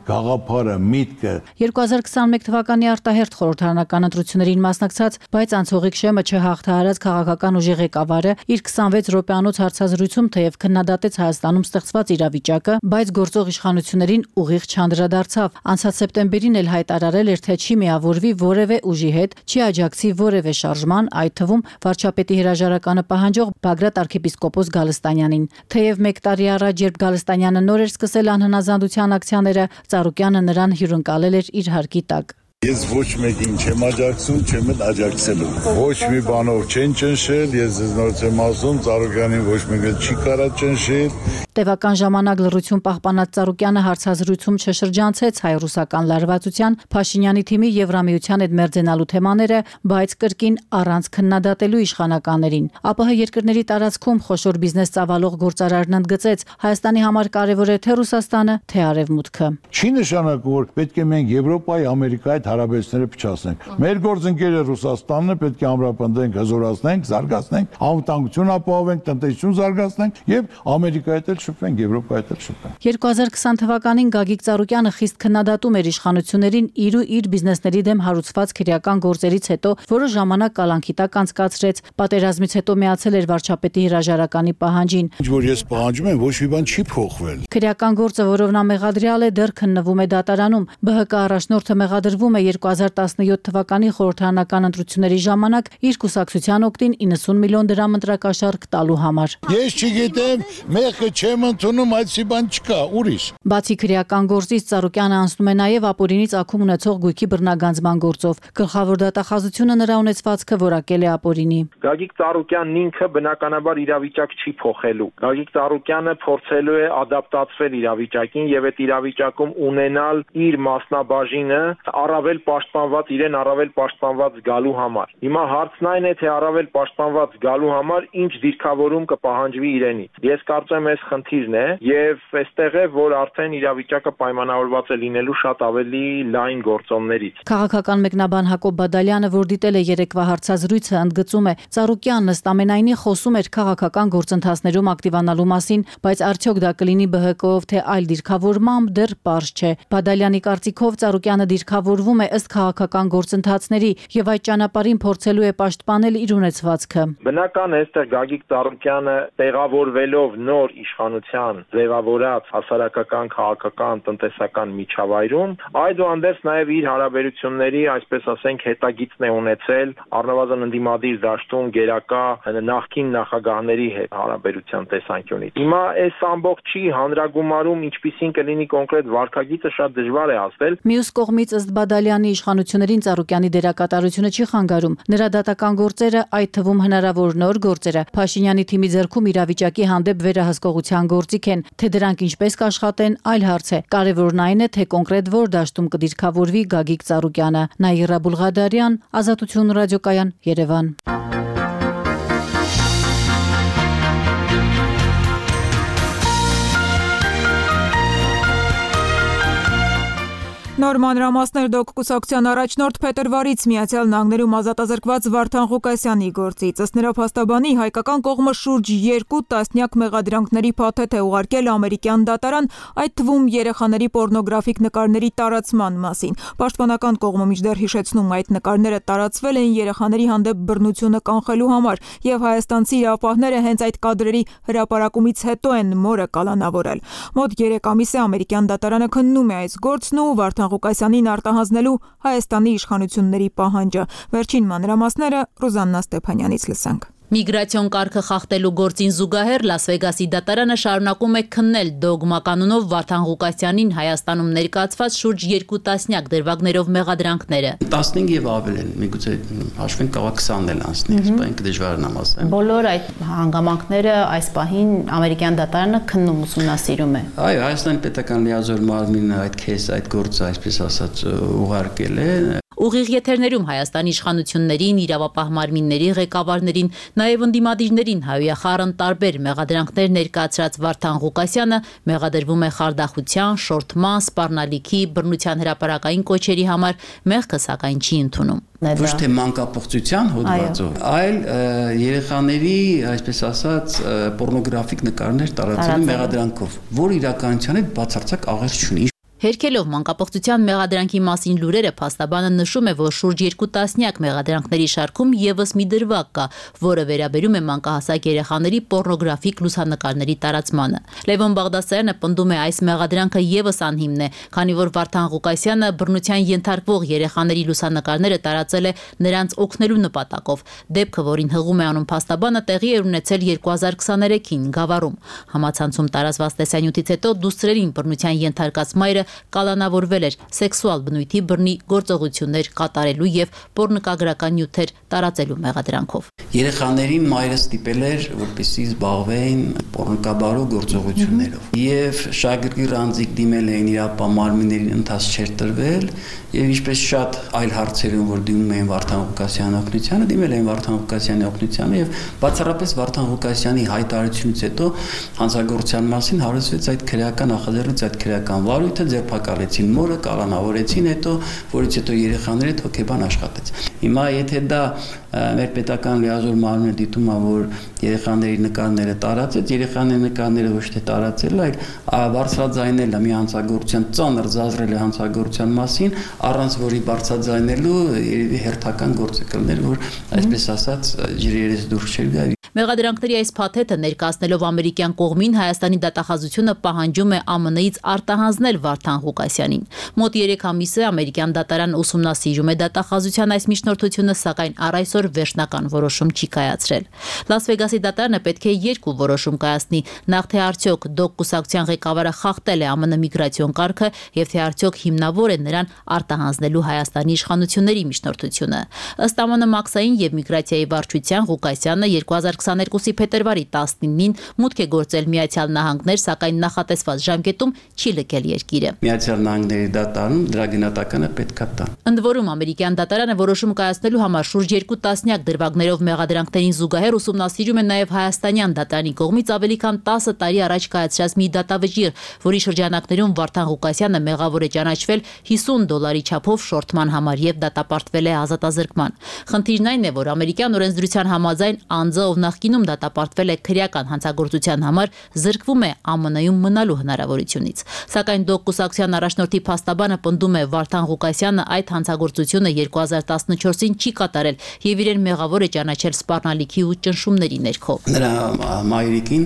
[SPEAKER 16] գաղափարը, միտքը։
[SPEAKER 15] 2021 թվականի արտահերթ խորհրդարանական ընտրություններին մասնակցած, բայց անցողիկ շեմը չհաղթահարած քաղաքական ուժի ղեկավարը իր 26 րոպեանոց հարցազրույցում թեև քննադատեց Հայաստանում ստեղծված իրավիճակը, բայց գործող իշխանություններին ուղիղ չանդրադարձավ։ Անցած սեպտեմբերին էլ հայտարարել էր, թե չի միավորվի որևէ ուժի հետ, չի աջակցի որևէ շարժման, այդ թվում վարչապետի հրաժարականը պահանջող Բագրատ arczepiskopos Գալստանյանին։ Թեև 1 տարի առաջ, երբ Գալստանյանը նոր էր սկսել անհնազանդության ակցիաները, Ծառուկյանը նրան հյուրընկալել էր իր հարկի տակ։
[SPEAKER 16] Ես ոչ մեկին չեմ աջակցում, չեմ էլ աջակցելու։ Ոչ մի բանով չեն ճնշել, ես նորից եմ ասում, Ծառուկյանին ոչ մեկը չի կարա ճնշել։
[SPEAKER 15] Տևական ժամանակ լռություն պահպանած Ծառուկյանը հարցազրույցում չշրջանցեց հայ-ռուսական լարվածության, Փաշինյանի թիմի Եվրամիության հետ մերձենալու թեմաները, բայց կրկին առանց քննադատելու իշխանականներին։ ԱՊՀ երկրների տարածքում խոշոր բիզնես ծավալող գործարարն ընդգծեց, Հայաստանի համար կարևոր է թե Ռուսաստանը, թե Արևմուտքը։
[SPEAKER 16] Չի նշանակում, որ պետք է մենք Եվրոպայի, Ամերիկայի հարաբերությունները փչացնենք։ Մեր գործընկերը Ռուսաստանն է, պետք է ամրապնդենք, հզորացնենք, զարգացնենք, անվտանգություն ապահովենք, տնտեսություն զարգացնենք եւ Ամերիկայի հետ շփվենք, Եվրոպայի հետ շփվենք։
[SPEAKER 15] 2020 թվականին Գագիկ Ծառուկյանը խիստ քննադատում էր իշխանություններին իր բիզնեսների դեմ հարուցված քրեական գործերից հետո, որը ժամանակ կալանքի տակ անցկացրեց։ Պատերազմից հետո միացել էր վարչապետի հրաժարականի պահանջին։
[SPEAKER 16] Ինչ որ ես պահանջում եմ, ոչ մի բան չի փոխվել։
[SPEAKER 15] Քրեական գործը, որով նա մեղադրյալ է, դեռ քննվում է դատարանում։ ԲՀԿ առաջնորդը մեղադրվում է 2017 թվականի խորհրդարանական ընտրությունների ժամանակ իր կուսակցության օգտին 90 միլիոն դրամ ընտրակաշառք տալու համար։
[SPEAKER 16] Ես չգիտեմ, մեղքը չեմ ընդունում, այդպիսի բան չկա, ուրիշ։
[SPEAKER 15] Բացի քրեական գործից Ծառուկյանը անցնում է նաև ապօրինից ակում ունեցող գույքի բռնագանձման գործով։ Գլխավոր դատախազությունը նրա ունեցվածքը որակել է ապօրինի։
[SPEAKER 2] Գագիկ Ծառուկյանն ինքը բնականաբար իրավիճակ չի փոխելու։ Գագիկ Ծառուկյանը փորձելու է ադապտացվել իրավիճակին եւ այդ իրավիճակում ունենալ իր մասնաբաժինը առավել պաշտպանված իրեն առավել պաշտպանված գալու համար։ Հիմա հարցն այն է, թե առավել պաշտպանված գալու համար ինչ դիրքավորում կպահանջվի իրենից։ Ես կարծեմ այս խնդիրն է եւ այստեղ է, որ արդեն իրավիճակը պայմանավորված է լինելու շատ ավելի լայն գործոններից։
[SPEAKER 15] Քաղաքական մեկնաբան Հակոբ Բադալյանը, որ դիտել է երեկվա հարցազրույցը, ընդգծում է, Ծառուկյանն ըստ ամենայնի խոսում էր քաղաքական գործընթացներում ակտիվանալու մասին, բայց արդյոք դա կլինի ԲՀԿ-ով թե այլ դիրքավորմամբ դեռ պարզ չէ։ Բադալյանի կարծիքով Ծառուկյանը դիրքավորվում է ըստ քաղաքական գործընթացների եւ այդ ճանապարհին փորձելու է պաշտպանել իր ունեցվածքը։
[SPEAKER 2] Բնական է, այստեղ Գագիկ Ծառուկյանը տեղավորվելով նոր իշխանության ձևավորած հասարակական, քաղաքական, տնտեսական միջավայրում, այդուհանդերձ նաեւ իր հարաբերությունների, այսպես ասենք, հետագիծն է ունեցել առնվազն ընդդիմադիր դաշտում գերակա նախկին նախագահների հետ հարաբերության տեսանկյունից։ Հիմա այս ամբողջի հանրագումարում ինչպիսին կլինի կոնկրետ վարքագիծը շատ դժվար է ասել։
[SPEAKER 15] Մյուս կողմից ըստ Բադալյանի իշխանություններին Ծառուկյանի դերակատարությունը չի խանգարում։ Նրա դատական գործերը, այդ թվում հնարավոր նոր գործերը, Փաշինյանի թիմի ձեռքում իրավիճակի հանդեպ վերահսկողության գործիք են, թե դրանք ինչպես կաշխատեն, այլ հարց է։ Կարևորն այն է, թե կոնկրետ որ դաշտում կդիրքավորվի Գագիկ Ծառուկյանը։ Նաիրա Բուլղադարյան, Ազատություն ռադիոկայան, Երևան։
[SPEAKER 6] Նոր մանրամասներ դոկ կուսակցության առաջնորդ փետրվարից Միացյալ Նահանգներում ազատազրկված Վարդան Ղուկասյանի գործից։ Ըստ նրա փաստաբանի հայկական կողմը շուրջ 2 տասնյակ մեղադրանքների փաթեթ է ուղարկել ամերիկյան դատարան, այդ թվում երեխաների պոռնոգրաֆիկ նկարների տարածման մասին։ Պաշտպանական կողմը մինչդեռ հիշեցնում այդ նկարները տարածվել են երեխաների հանդեպ բռնությունը կանխելու համար, եւ հայաստանցի իրավապահները հենց այդ կադրերի հրապարակումից հետո են մորը կալանավորել։ Մոտ 3 ամիս է ամերիկյան դատարանը քննում է այս գործն ու Վարդան Ղուկասյանին արտահանձնելու Հայաստանի իշխանությունների պահանջը։ Վերջին մանրամասները Ռուզաննա Ստեփանյանից լսենք։
[SPEAKER 4] Միգրացիոն կարգը խախտելու գործին զուգահեռ Լաս Վեգասի դատարանը շարունակում է քննել դոգմա կանոնով Վարդան Ղուկասյանին Հայաստանում ներկայացված շուրջ 2 տասնյակ դրվագներով մեղադրանքները։
[SPEAKER 11] 15 եւ ավել են, միգուցե հաշվենք կարող 20-ն էլ անցնի, սպայն դժվար է ասեմ։
[SPEAKER 4] Բոլոր այդ հանգամանքները այս պահին ամերիկյան դատարանը քննում ուսումնասիրում է։
[SPEAKER 11] Այո, Հայաստանի պետական լիազոր մարմինը այդ քեզ այդ գործը այսպես ասած ուղարկել է։
[SPEAKER 4] Ուղիղ եթերներում Հայաստանի իշխանություններին, իրավապահ մարմինների ղեկավարներին, նաև ընդդիմադիրներին հայոյախառն տարբեր մեղադրանքներ ներկայացրած Վարդան Ղուկասյանը մեղադրվում է խարդախության, շորթման, սպառնալիքի, բռնության հրապարակային կոչերի համար, մեղքը սակայն չի ընդունում։
[SPEAKER 11] Ոչ թե մանկապղծության հոդվածով, այլ երեխաների, այսպես ասած, պոռնոգրաֆիկ նկարներ տարածելու մեղադրանքով, որ իրականության հետ բացարձակ աղերս չունի։
[SPEAKER 4] Հերքելով մանկապղծության մեղադրանքի մասին լուրերը փաստաբանը նշում է, որ շուրջ 2 տասնյակ մեղադրանքների շարքում եւս մի դրվագ կա, որը վերաբերում է մանկահասակ երեխաների պոռնոգրաֆիկ լուսանկարների տարածմանը։ Լևոն Բաղդասարյանը պնդում է, այս մեղադրանքը եւս անհիմն է, քանի որ Վարդան Ղուկասյանը բռնության ենթարկվող երեխաների լուսանկարները տարածել է նրանց օգնելու նպատակով։ Դեպքը, որին հղում է անում փաստաբանը, տեղի է ունեցել 2023-ին Գավառում։ Համացանցում տարածված տեսանյութից հետո դուստրերին բռնության ենթարկած մայրը կալանավորվել էր սեքսուալ բնույթի բռնի գործողություններ կատարելու եւ պոռնկագրական նյութեր տարածելու մեղադրանքով։
[SPEAKER 11] Երեխաներին մայրը ստիպել էր, որպեսզի զբաղվեն պոռնկաբարո գործողություններով։ Եվ շագրգիռ անձիկ դիմել էին իրապահ մարմիններին, ընթաց չէր տրվել, եւ ինչպես շատ այլ հարցերում, որ դիմում էին Վարդան Ղուկասյանի օգնությանը, դիմել էին Վարդան Ղուկասյանի օգնությանը եւ բացառապես Վարդան Ղուկասյանի հայտարարությունից հետո հանցագործության մասին հարուցվեց այդ քրեական նախաձեռնեց այդ քրեական վարույթը, ձերբակալեցին մորը, կալանավորեցին հետո, որից հետո երեխաները հոգեբան աշխատեց։ Հիմա եթե դա մեր պետական լիազոր մարմինը դիտում է, որ երեխաների նկարները տարածեց, երեխաների նկարները ոչ թե տարածել, այլ բարձրաձայնել է մի հանցագործության ծանր զազրել է հանցագործության մասին, առանց որի բարձրաձայնելու երևի հերթական գործ է կլներ, որ այսպես ասած ջրերից դուրս չեր գա։
[SPEAKER 4] Մեղադրանքների այս փաթեթը ներկայացնելով ամերիկյան կողմին Հայաստանի դատախազությունը պահանջում է ԱՄՆ-ից արտահանձնել Վարդան Ղուկասյանին։ Մոտ 3 ամիս է ամերիկյան դատարանը ուսումնասիրում է դատախազության այս միջնորդությունը, սակայն առ այսօր վերջնական որոշում չի կայացրել։ Լաս Վեգասի դատարանը պետք է 2 որոշում կայացնի, նախ թե արդյոք դոկ կուսակցության ղեկավարը խախտել է ԱՄՆ միգրացիոն կարգը եւ թե արդյոք հիմնավոր է նրան արտահանձնելու Հայաստանի իշխանությունների միջնորդությունը։ Ըստ ԱՄՆ մաքսային եւ միգրացիայի վարչության Ղուկասյանը 2022-ի փետրվարի 19-ին մուտք է գործել Միացյալ Նահանգներ, սակայն նախատեսված ժամկետում չի լքել երկիրը։
[SPEAKER 11] Միացյալ Նահանգների դատարանում դրա գնահատականը պետքա տա։
[SPEAKER 4] Ընդ որում ամերիկյան դատարանը որոշում կայացնելու համար շուրջ 2 տասնյակ դրվագներով մեղադրանքներին զուգահեռ ուսումնասիրում է նաև հայաստանյան դատարանի կողմից ավելի քան 10 տարի առաջ կայացրած մի դատավճիռ, որի շրջանակներում Վարդան Ղուկասյանը մեղավոր է ճանաչվել $50 չափով շորթման համար եւ դատապարտվել է ազատազրկման։ Խնդիրն այն է, որ ամերիկյան օրենսդրության համաձայն անձը, ով նախկինում դատապարտվել է քրեական հանցագործության համար, զրկվում է ԱՄՆ-ում մնալու հնարավորությունից։ Սակայն դոկ կուսակցության առաջնորդի փաստաբանը պնդում է, Վարդան Ղուկասյանը այդ հանցագործությունը 2014-ին չի կատարել եւ իրեն մեղավոր է ճանաչել սպառնալիքի ու ճնշումների ներքո։
[SPEAKER 11] Նրա մայրիկին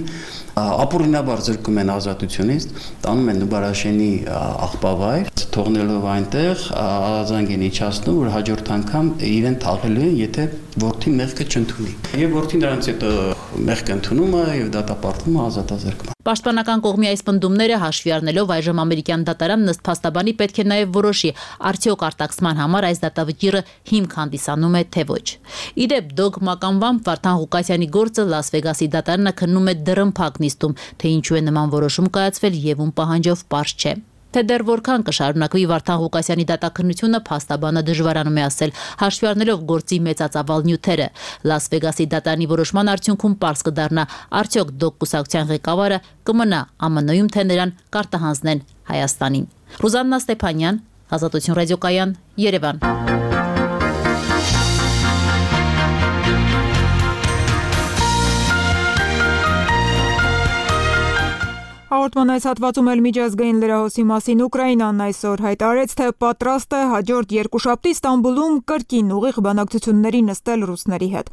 [SPEAKER 11] ապօրինաբար զրկում են ազատությունից, տանում են Նուբարաշենի աղբավայր, թողնելով այնտեղ ազանգ են իջացնում, որ հաջորդ անգամ իրեն թաղելու են, եթե որդին մեղքը չընդունի։ Եվ որդին նրանց հետո մեղքը ընդունում է եւ դատապարտվում է ազատազրկման։
[SPEAKER 4] Պաշտպանական կողմի այս պնդումները հաշվի առնելով այժմ ամերիկյան դատարանն ըստ փաստաբանի պետք է նաև որոշի, արդյոք արտաքսման համար այս դատավճիռը հիմք հանդիսանում է թե ոչ։ Իդեպ դոկ մականվամբ Վարդան Ղուկասյանի գործը Լաս Վեգասի դատարանը քննում է դռնփակ նիստում, թե ինչու է նման որոշում կայացվել եւ ում պահանջով պարզ չէ։ Թե դեռ որքան կշարունակվի Վարդան Ղուկասյանի դատաքննությունը, փաստաբանը դժվարանում է ասել, հաշվի առնելով գործի մեծածավալ նյութերը։ Լաս Վեգասի դատարանի որոշման արդյունքում պարզ կդառնա, արդյոք դոկ կուսակցության ղեկավարը կմնա ԱՄՆ-ում, թե նրան կարտահանձնեն Հայաստանին։ Ռուզաննա Ստեփանյան, Ազատություն ռադիոկայան, Երևան։
[SPEAKER 6] Հաղորդման այս հատվածում էլ միջազգային լրահոսի մասին Ուկրաինան այսօր հայտարարեց, թե պատրաստ է հաջորդ երկուշաբթի Ստամբուլում կրկին ուղիղ բանակցությունների նստել ռուսների հետ։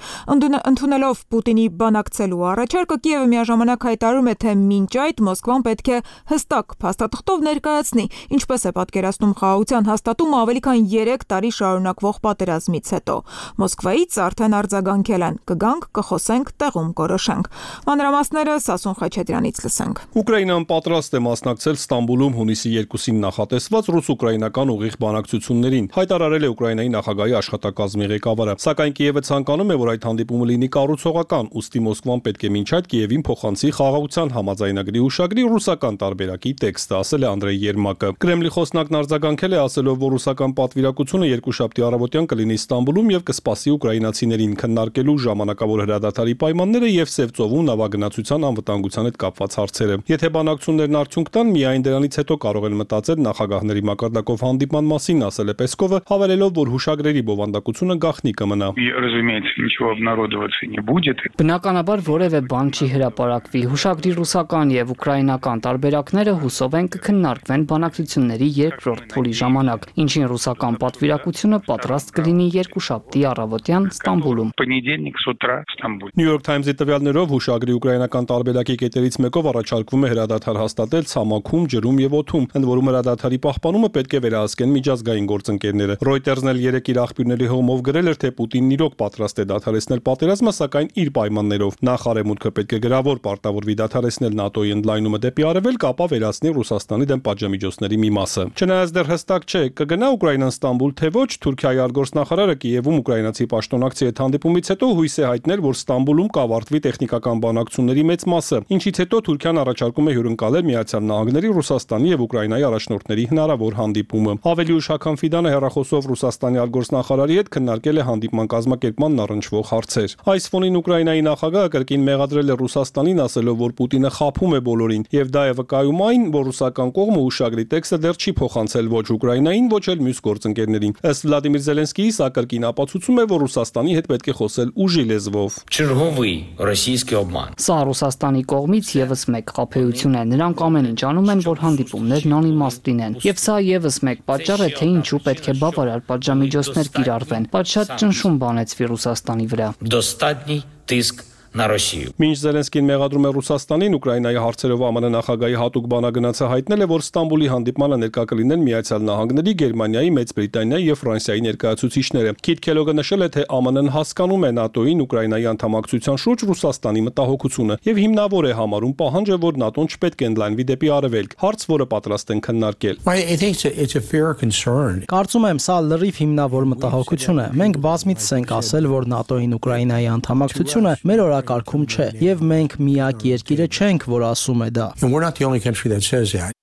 [SPEAKER 6] Ընդունելով Պուտինի բանակցելու առաջարկը, Կիևը միաժամանակ հայտարարում է, թե մինչ այդ Մոսկվան պետք է հստակ փաստաթղթով ներկայացնի, ինչպես է պատկերացնում խաղաղության հաստատումը ավելի քան 3 տարի շարունակվող պատերազմից հետո։ Մոսկվայից արդեն արձագանքել են. կգանք, կխոսենք, տեղում կորոշենք։ Մանրամասները Սասուն Խաչատրյանից լսենք։
[SPEAKER 17] Ուկրաինան պատրաստ է մասնակցել Ստամբուլում հունիսի 2-ին նախատեսված ռուս-ուկրաինական ուղիղ բանակցություններին, հայտարարել է Ուկրաինայի նախագահի աշխատակազմի ղեկավարը։ Սակայն Կիևը ցանկանում է, որ այդ հանդիպումը լինի կառուցողական, ուստի Մոսկվան պետք է մինչ այդ Կիևին փոխանցի խաղաղության համաձայնագրի հուշագրի ռուսական տարբերակի տեքստը, ասել է Անդրեյ Երմակը։ Կրեմլի խոսնակն արձագանքել է, ասելով, որ ռուսական պատվիրակությունը երկուշաբթի առավոտյան կլինի Ստամբուլում եւ կսպասի ուկրաինացիներին քննարկելու ժամանակավոր հրադադարի պայմանները եւ Սևծովում նավագնացության անվտանգության հետ կապված հարցերը։ Եթե բանակցություններն արդյունք տան, միայն դրանից հետո կարող են մտածել նախագահների մակարդակով հանդիպման մասին, ասել է Պեսկովը, հավելելով, որ հուշագրերի բովանդակությունը գաղտնի կմնա։
[SPEAKER 18] Բնականաբար որևէ բան չի հրապարակվի։ Հուշագրի ռուսական եւ ուկրաինական տարբերակները հուսով են կքննարկվեն բանակցությունների երկրորդ փուլի ժամանակ, ինչին ռուսական պատվիրակությունը պատրաստ կլինի երկուշաբթի առավոտյան Ստամբուլում։
[SPEAKER 17] New York Times-ի տվյալներով հուշագրի ուկրաինական տարբերակի կետերից մեկով առաջարկվում է հրադադար հաստատել ցամաքում, ջրում եւ օդում, ընդ որում հրադադարի պահպանումը պետք է վերահսկեն միջազգային գործընկերները։ Reuters-ն էլ երեք իր աղբյուրների հողմով գրել էր, թե Պուտինն իրոք պատրաստ է դադարեցնել պատերազմը, սակայն իր պայմաններով։ Նախ Արևմուտքը պետք է գրավոր պարտավորվի դադարեցնել ՆԱՏՕ-ի ընդլայնումը դեպի արևելք, ապա վերացնի Ռուսաստանի դեմ պատժամիջոցների մի մասը։ Չնայած դեռ հստակ չէ, կգնա Ուկրաինան Ստամբուլ թե ոչ, Թուրքիայի արտգործնախարարը Կիևում ուկրաինացի պաշտոնակցի հետ հանդիպումից հետո հույս է հայտնել, որ Ստամբուլում կավարտվի տեխնիկական բանակցությունների մեծ մասը, ինչից հետո Թուրքիան առաջարկում է հյուրընկալել Միացյալ Նահանգների, Ռուսաստանի եւ Ուկրաինայի առաջնորդների հնարավոր հանդիպումը։ Ավելի ուշ Հական Ֆիդանը հեռախոսով Ռուսաստանի արտգործնախարարի հետ քննարկել է հանդիպման կազմակերպմանն առնչվող հարցեր։ Այս ֆոնին Ուկրաինայի նախագահը կրկին մեղադրել է Ռուսաստանին, ասելով, որ Պուտինը խաբում է բոլորին, եւ դա է վկայում այն, որ ռուսական կողմը հուշագրի տեքստը դեռ չի փոխանցել ոչ Ուկրաինային, ոչ էլ մյուս գործընկերներին։ Ըստ Վլադիմիր Զելենսկիի, սա կրկին ապացուցում է, որ Ռուսաստանի հետ պետք է խոսել ուժի լեզվով։
[SPEAKER 18] Սա Ռուսաստանի կողմից եւս մեկ խաբեություն է։ Նրանք ամեն ինչ անում են, որ հանդիպումներն անիմաստ լինեն։ Եվ սա եւս մեկ պատճառ է, թե ինչու պետք է բավարար պատժամիջոցներ կիրառվեն։ Բայց շատ ճնշում բանեցվի Ռուսաստանի վրա։
[SPEAKER 17] Մինչ Զելենսկին մեղադրում է Ռուսաստանին, Ուկրաինայի հարցերով ԱՄՆ նախագահի հատուկ բանագնացը հայտնել է, որ Ստամբուլի հանդիպմանը ներկա կլինեն Միացյալ Նահանգների, Գերմանիայի, Մեծ Բրիտանիայի եւ Ֆրանսիայի ներկայացուցիչները։ Քիթ Քելոգը նշել է, թե ԱՄՆ-ն հասկանում է ՆԱՏՕ-ին Ուկրաինայի անդամակցության շուրջ Ռուսաստանի մտահոգությունը եւ հիմնավոր է համարում պահանջը, որ ՆԱՏՕ-ն չպետք է ընդլայնվի դեպի արևելք, հարց, որը պատրաստ են քննարկել։
[SPEAKER 19] Կարծում եմ, սա լրիվ հիմնավոր մտահոգություն է։ Մենք բազմիցս ենք ասել, որ ՆԱՏՕ-ին Ուկրաինայի անդամակցությունը մեր կարգում չէ, եւ մենք միակ երկիրը չենք, որ ասում է դա։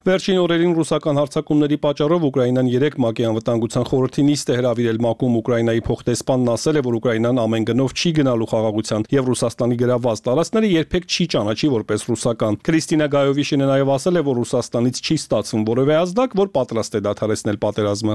[SPEAKER 17] Վերջին օրերին ռուսական հարձակումների պատճառով Ուկրաինան 3 ՄԱԿ-ի անվտանգության խորհրդի նիստ է հրավիրել ՄԱԿ-ում Ուկրաինայի փոխտեսպանն ասել է, որ Ուկրաինան ամեն գնով չի գնալու խաղաղության եւ Ռուսաստանի գրաված տարածքները երբեք չի ճանաչի որպես ռուսական։ Քրիստինա Գայովիշինը նաեւ ասել է, որ Ռուսաստանից չի ստացվում որևէ ազդակ, որ պատրաստ է դադարեցնել պատերազմը։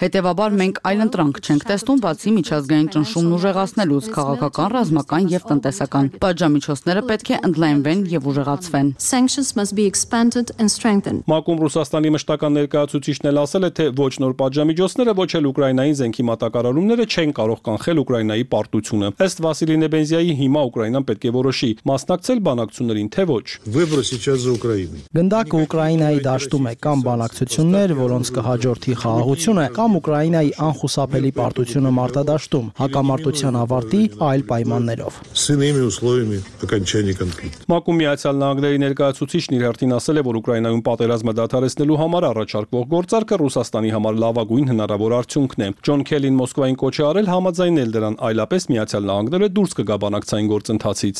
[SPEAKER 7] Հետևաբար մենք այլընտրանք չենք տեսնում, բացի միջազգային ճնշումն ուժեղացնելուց, քաղաքական, ռազմական եւ տնտեսական։ Պատժամիջոցները պետք է ընդլայնվեն եւ ուժեղացվեն։
[SPEAKER 17] ՄԱԿ-ում Ռուսաստանի մշտական ներկայացուցիչն էլ ասել է, թե ոչ նոր պատժամիջոցները, ոչ էլ Ուկրաինային զենքի մատակարարումները չեն կարող կանխել Ուկրաինայի պարտությունը։ Ըստ Վասիլի Նեբենզիայի, հիմա Ուկրաինան պետք է որոշի՝ մասնակցել բանակցություններին, թե ոչ։
[SPEAKER 19] Գնդակը Ուկրաինայի դաշտում է կամ բանակցություններ, որոնց կհաջորդի խաղաղությունը, կամ Ուկրաինայի անխուսափելի պարտությունը մարտադաշտում, հակամարտության ավարտի այլ պայմաններով։
[SPEAKER 17] ՄԱԿ-ում Միացյալ Նահանգների ներկայացուցիչն իր հերթին ասել է, որ Ուկրաինայում պատերազմը դադարեցնելու համար առաջարկվող գործարքը Ռուսաստանի համար լավագույն հնարավոր արդյունքն է։ Ջոն Քելին Մոսկվային կոչ է արել համաձայնել դրան, այլապես Միացյալ Նահանգները դուրս կգա բանակցային գործընթացից։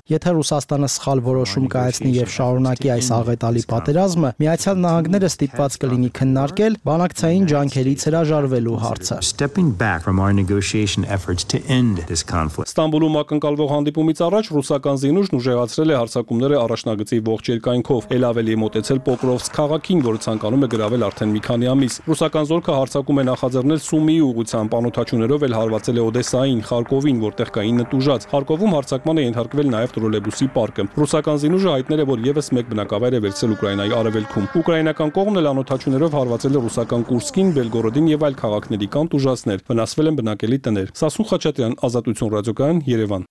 [SPEAKER 19] Եթե Ռուսաստանը սխալ որոշում կայացնի եւ շարունակի այս աղետալի պատերազմը, Միացյալ Նահանգները ստիպված կլինի քննարկել բանակցային ջանքերից հրաժարվելու հարցը։ հարցը։
[SPEAKER 5] Stepping back from our negotiation efforts to end this conflict.
[SPEAKER 17] Ստամբուլում ակնկալվող հանդիպումից առաջ ռուսական զինուժն ուժեղացրել է հարձակումները առաջնագծի ողջ երկայնքով, ել ավելի է մոտեցել Պոկրովսկ քաղաքին, որը ցանկանում է գրավել արդեն մի քանի ամիս։ Ռուսական զորքը հարձակում է նախաձեռնել Սումիի ուղղությամբ, անօդաչուներով էլ հարվածել է Օդեսային, Խարկովին, որտեղ կային նտուժած։ Խարկովում հարձակման է ենթարկվել նաև տրոլեյբուսի պարկը։ Ռուսական զինուժը հայտնել է, որ եւս մեկ բնակավայր է վերցրել Ուկրաինայի արևելքում։ Ուկրաինական կողմն էլ անօդաչուներով հարվածել է ռուսական Կուրսկին, Բելգորոդին եւ այլ քաղաքների կան տուժածներ։ Վնասվել են բնակելի տներ։ Սասուն Խաչատրյան, Ազատություն ռադիոկայան, Երևան։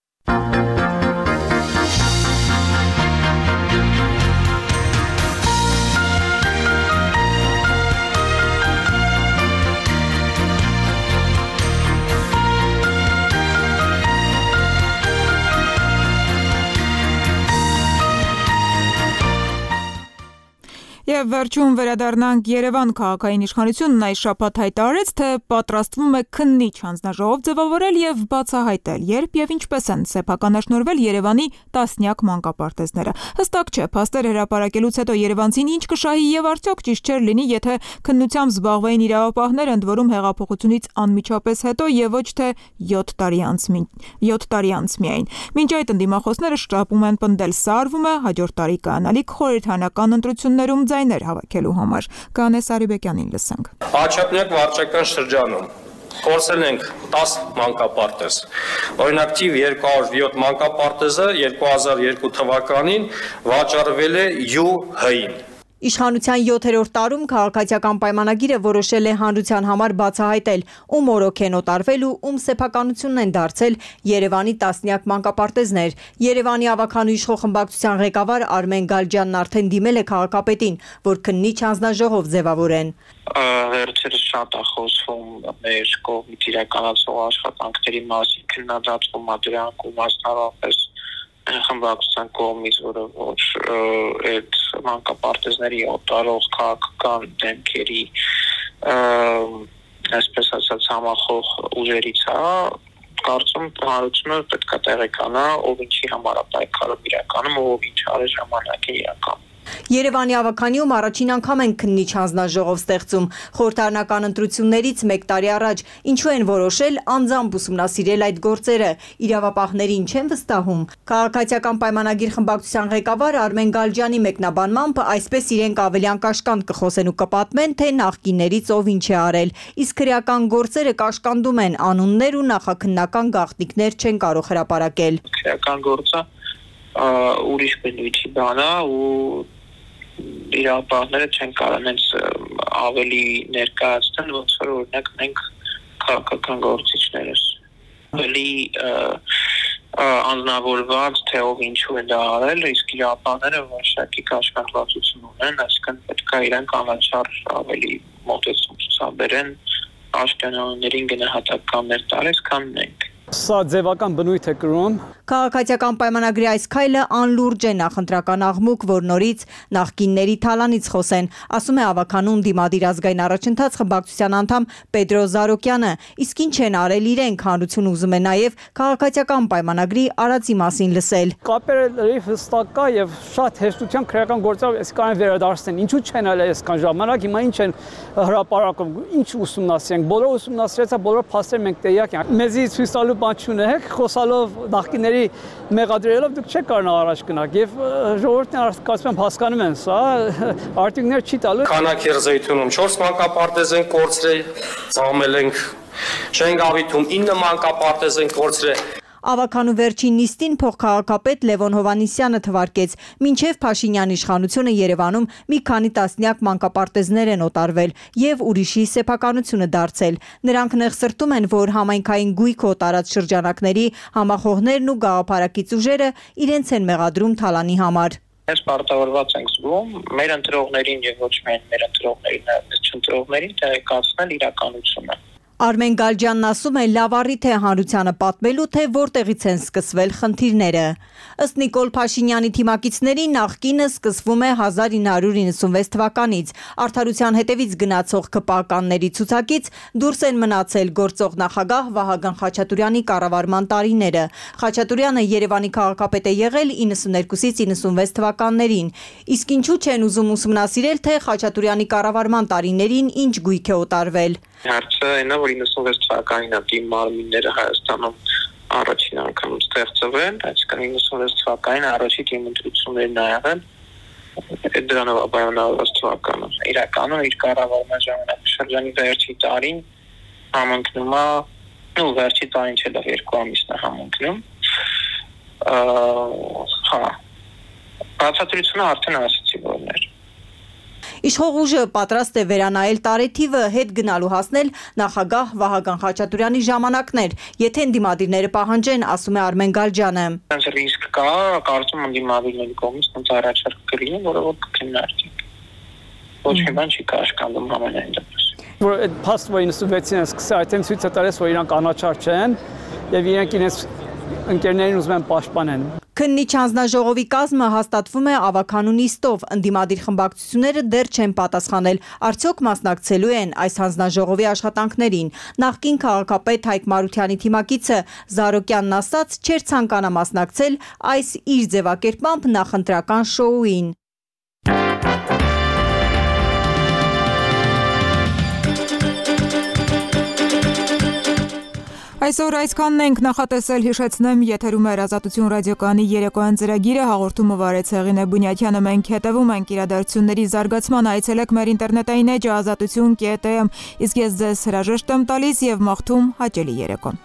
[SPEAKER 6] Եվ վերջում վերադառնանք Երևան քաղաքային իշխանությունն այս շաբաթ հայտարարեց, թե պատրաստվում է քննիչ հանձնաժողով ձևավորել եւ բացահայտել, երբ եւ ինչպես են սեփականաշնորհվել Երևանի տասնյակ մանկապարտեզները։ Հստակ չէ, փաստեր հրապարակելուց հետո երևանցին ինչ կշահի եւ արդյոք ճիշտ չէր լինի, եթե քննությամբ զբաղվեին իրավապահներ, ընդ որում հեղափոխությունից անմիջապես հետո եւ ոչ թե 7 տարի անց միայն։ Մինչ այդ ընդդիմախոսները շտապում են պնդել, սարվում է հաջորդ տարի կանալիք խորհրդարանական ընտրություններում ձայներ հավաքելու համար։ Կանե Սարիբեկյանին լսենք։
[SPEAKER 20] Աջափնյակ վարչական շրջանում կորցրել ենք 10 մանկապարտեզ։ Օրինակ թիվ 207 մանկապարտեզը 2002 թվականին վաճառվել է ՅՈՒՀ-ին։
[SPEAKER 21] Իշխանության 7-րդ տարում քաղաքացիական պայմանագիրը որոշել է հանրության համար բացահայտել, ում օրոք են օտարվել ու ում սեփականությունն են դարձել Երևանի տասնյակ մանկապարտեզներ։ Երևանի ավականու իշխող խմբակցության ղեկավար Արմեն Գալջյանն արդեն դիմել է քաղաքապետին, որ քննիչ հանձնաժողով ձևավորեն։
[SPEAKER 22] Վերջերս շատ է խոսվում մեր կողմից իրականացող աշխատանքների մասին, քննադատվում է դրանք ու մասնավորապես խմբակցության կողմից, որը ոչ այդ մանկապարտեզների օտարող քաղաքական դեմքերի այսպես ասած համախոհ ուժերից է, կարծում հանրությունը պետք է տեղեկանա, ով ինչի համար է պայքարում իրականում, ով ինչ արել ժամանակին իրականում։
[SPEAKER 21] Երևանի ավականիում առաջին անգամ են քննիչ հանձնաժողով ստեղծում։ Խորհրդարանական ընտրություններից 1 տարի առաջ ինչու են որոշել անձամբ ուսումնասիրել այդ գործերը, իրավապահներին չեն վստահում։ Քաղաքացիական պայմանագիր խմբակցության ղեկավար Արմեն Գալջյանի մեկնաբանմամբ այսպես իրենք ավելի անկաշկանդ կխոսեն ու կպատմեն, թե նախկիններից ով ինչ է արել, իսկ քրեական գործերը կաշկանդում են, անուններ ու նախաքննական գաղտնիքներ չեն կարող հրապարակել։
[SPEAKER 22] Քրեական գործը ուրիշ բնույթի բան է ու իրավապահները չեն կարող ավելի ներկայացնել, ոնց որ օրինակ մենք քաղաքական գործիչներս ավելի անձնավորված, թե ով ինչու է դա արել, իսկ իրավապահները որոշակի կաշկանդվածություն ունեն, այսինքն պետք է իրենք անաչառ ավելի մոտեցում ցուցաբերեն, աշկանոններին գնահատականներ տալիս, քան մենք։
[SPEAKER 23] Սա ձևական բնույթ է կրում։
[SPEAKER 21] Քաղաքացիական պայմանագրի այս քայլը անլուրջ է նախընտրական աղմուկ, որ նորից նախկինների թալանից խոսեն, ասում է ավականուն դիմադիր ազգային առաջընթաց խմբակցության անդամ Պետրո Զարոկյանը, իսկ ինչ են արել իրենք, հանրություն ուզում է նաև քաղաքացիական պայմանագրի արածի մասին լսել։
[SPEAKER 23] Կապերը լրիվ հստակ կա եւ շատ հեշտությամբ քրեական գործով այս կան վերադարձնեն։ Ինչու չեն արել այսքան ժամանակ, հիմա ինչ են հրապարակում, ինչ ուսումնասիրենք, բոլոր ուսումնասիրեցա, բոլոր փաստեր մենք տեղյակ ենք։ Մեզի ցույց տալու բան չունեք, խոսալով նախկիների մեղադրելով դուք չեք կարող առաջ գնալ եւ ժողովուրդն կարծում եմ հասկանում են սա, արտիկներ չի տալու։
[SPEAKER 20] Քանաքերզեյթունում 4 մանկապարտեզ են կորցրել, ծաղմել ենք Շենգավիթում 9 մանկապարտեզ են կորցրել։
[SPEAKER 21] Ավականու վերջին նիստին փոխքաղաքապետ Լևոն Հովհաննիսյանը թվարկեց, մինչև Փաշինյան իշխանությունը Երևանում մի քանի տասնյակ մանկապարտեզներ են օտարվել եւ ուրիշի սեփականությունը դարձել։ Նրանք նեղսրտում են, որ համայնքային գույք օտարած շրջանակների համախոհներն ու գաղափարակից ուժերը իրենց են մեղադրում թալանի համար։
[SPEAKER 22] Mēs պարտավորված ենք զգում մեր ընտրողներին եւ ոչ միայն մեր ընտրողներին, այլ չընտրողներին տեղեկացնել իրականությունը։
[SPEAKER 21] Արմեն Գալջյանն ասում է, լավ առիթ է հանրությանը պատմելու, թե որտեղից են սկսվել խնդիրները։ Ըստ Նիկոլ Փաշինյանի թիմակիցների նախկինը սկսվում է 1996 թվականից։ Արդարության հետևից գնացող ԿՊԱ-կանների ցուցակից դուրս են մնացել գործող նախագահ Վահագն Խաչատուրյանի կառավարման տարիները։ Խաչատուրյանը Երևանի քաղաքապետ է եղել 92-ից 96 թվականներին։ Իսկ ինչու չեն ուզում ուսումնասիրել, թե Խաչատուրյանի կառավարման տարիներին ինչ գույք է օտարվել։
[SPEAKER 22] Հարցը այնա, որ 96 թվականին է թիմ մարմինները Հայաստանում առաջին անգամ ստեղծվել, այսինքն 96 թվականին առաջի թիմ ընտրություններն ա եղել, դրանով ապայոնավորված թվականը։ Իրականում իր կառավարման ժամանակաշրջանի վերջի տարին համընկնում է, վերջի տարին չէ, 2 ամիսն է համընկնում։ Բացատրությունը արդեն ասացի որներ։
[SPEAKER 21] Իշխող ուժը պատրաստ է վերանայել տարեթիվը, հետ գնալու հասնել նախագահ Վահագն Խաչատուրյանի ժամանակներ, եթե ընդդիմադիրները պահանջեն, ասում է Արմեն Գալջյանը։
[SPEAKER 22] Այնց ռիսկ կա, կարծում ընդդիմադիրների կողմից այնց առաջարկ կլինի, որը որ կքննարկվի։ Ոչ մի բան չի կաշկանդում համենայն դեպս։
[SPEAKER 23] Որ այդ փաստը 96-ին սկսել այդտեղ ցույց է տալիս, որ իրանք անաչառ չեն եւ իրենք իրենց ընկերներին ուզում են պաշտպանեն։
[SPEAKER 21] Քննիչ հանձնաժողովի կազմը հաստատվում է ավականու նիստով, ընդդիմադիր խմբակցությունները դեռ չեն պատասխանել, արդյոք մասնակցելու են այս հանձնաժողովի աշխատանքներին։ Նախկին քաղաքապետ Հայկ Մարությանի թիմակիցը Զարոկյանն ասաց, չէր ցանկանա մասնակցել այս իր ձևակերպմամբ նախընտրական շոուին։
[SPEAKER 6] Այսօր այսքանն ենք նախատեսել, հիշեցնեմ, եթերում է Ազատություն ռադիոկայանի երեկոյան ծրագիրը, հաղորդումը վարեց Հեղինե Բունյաթյանը, մենք հետևում ենք իրադարձությունների զարգացման, այցելեք մեր ինտերնետային էջը azatutun.am, իսկ ես ձեզ հրաժեշտ եմ տալիս եւ մաղթում հաճելի երեկո։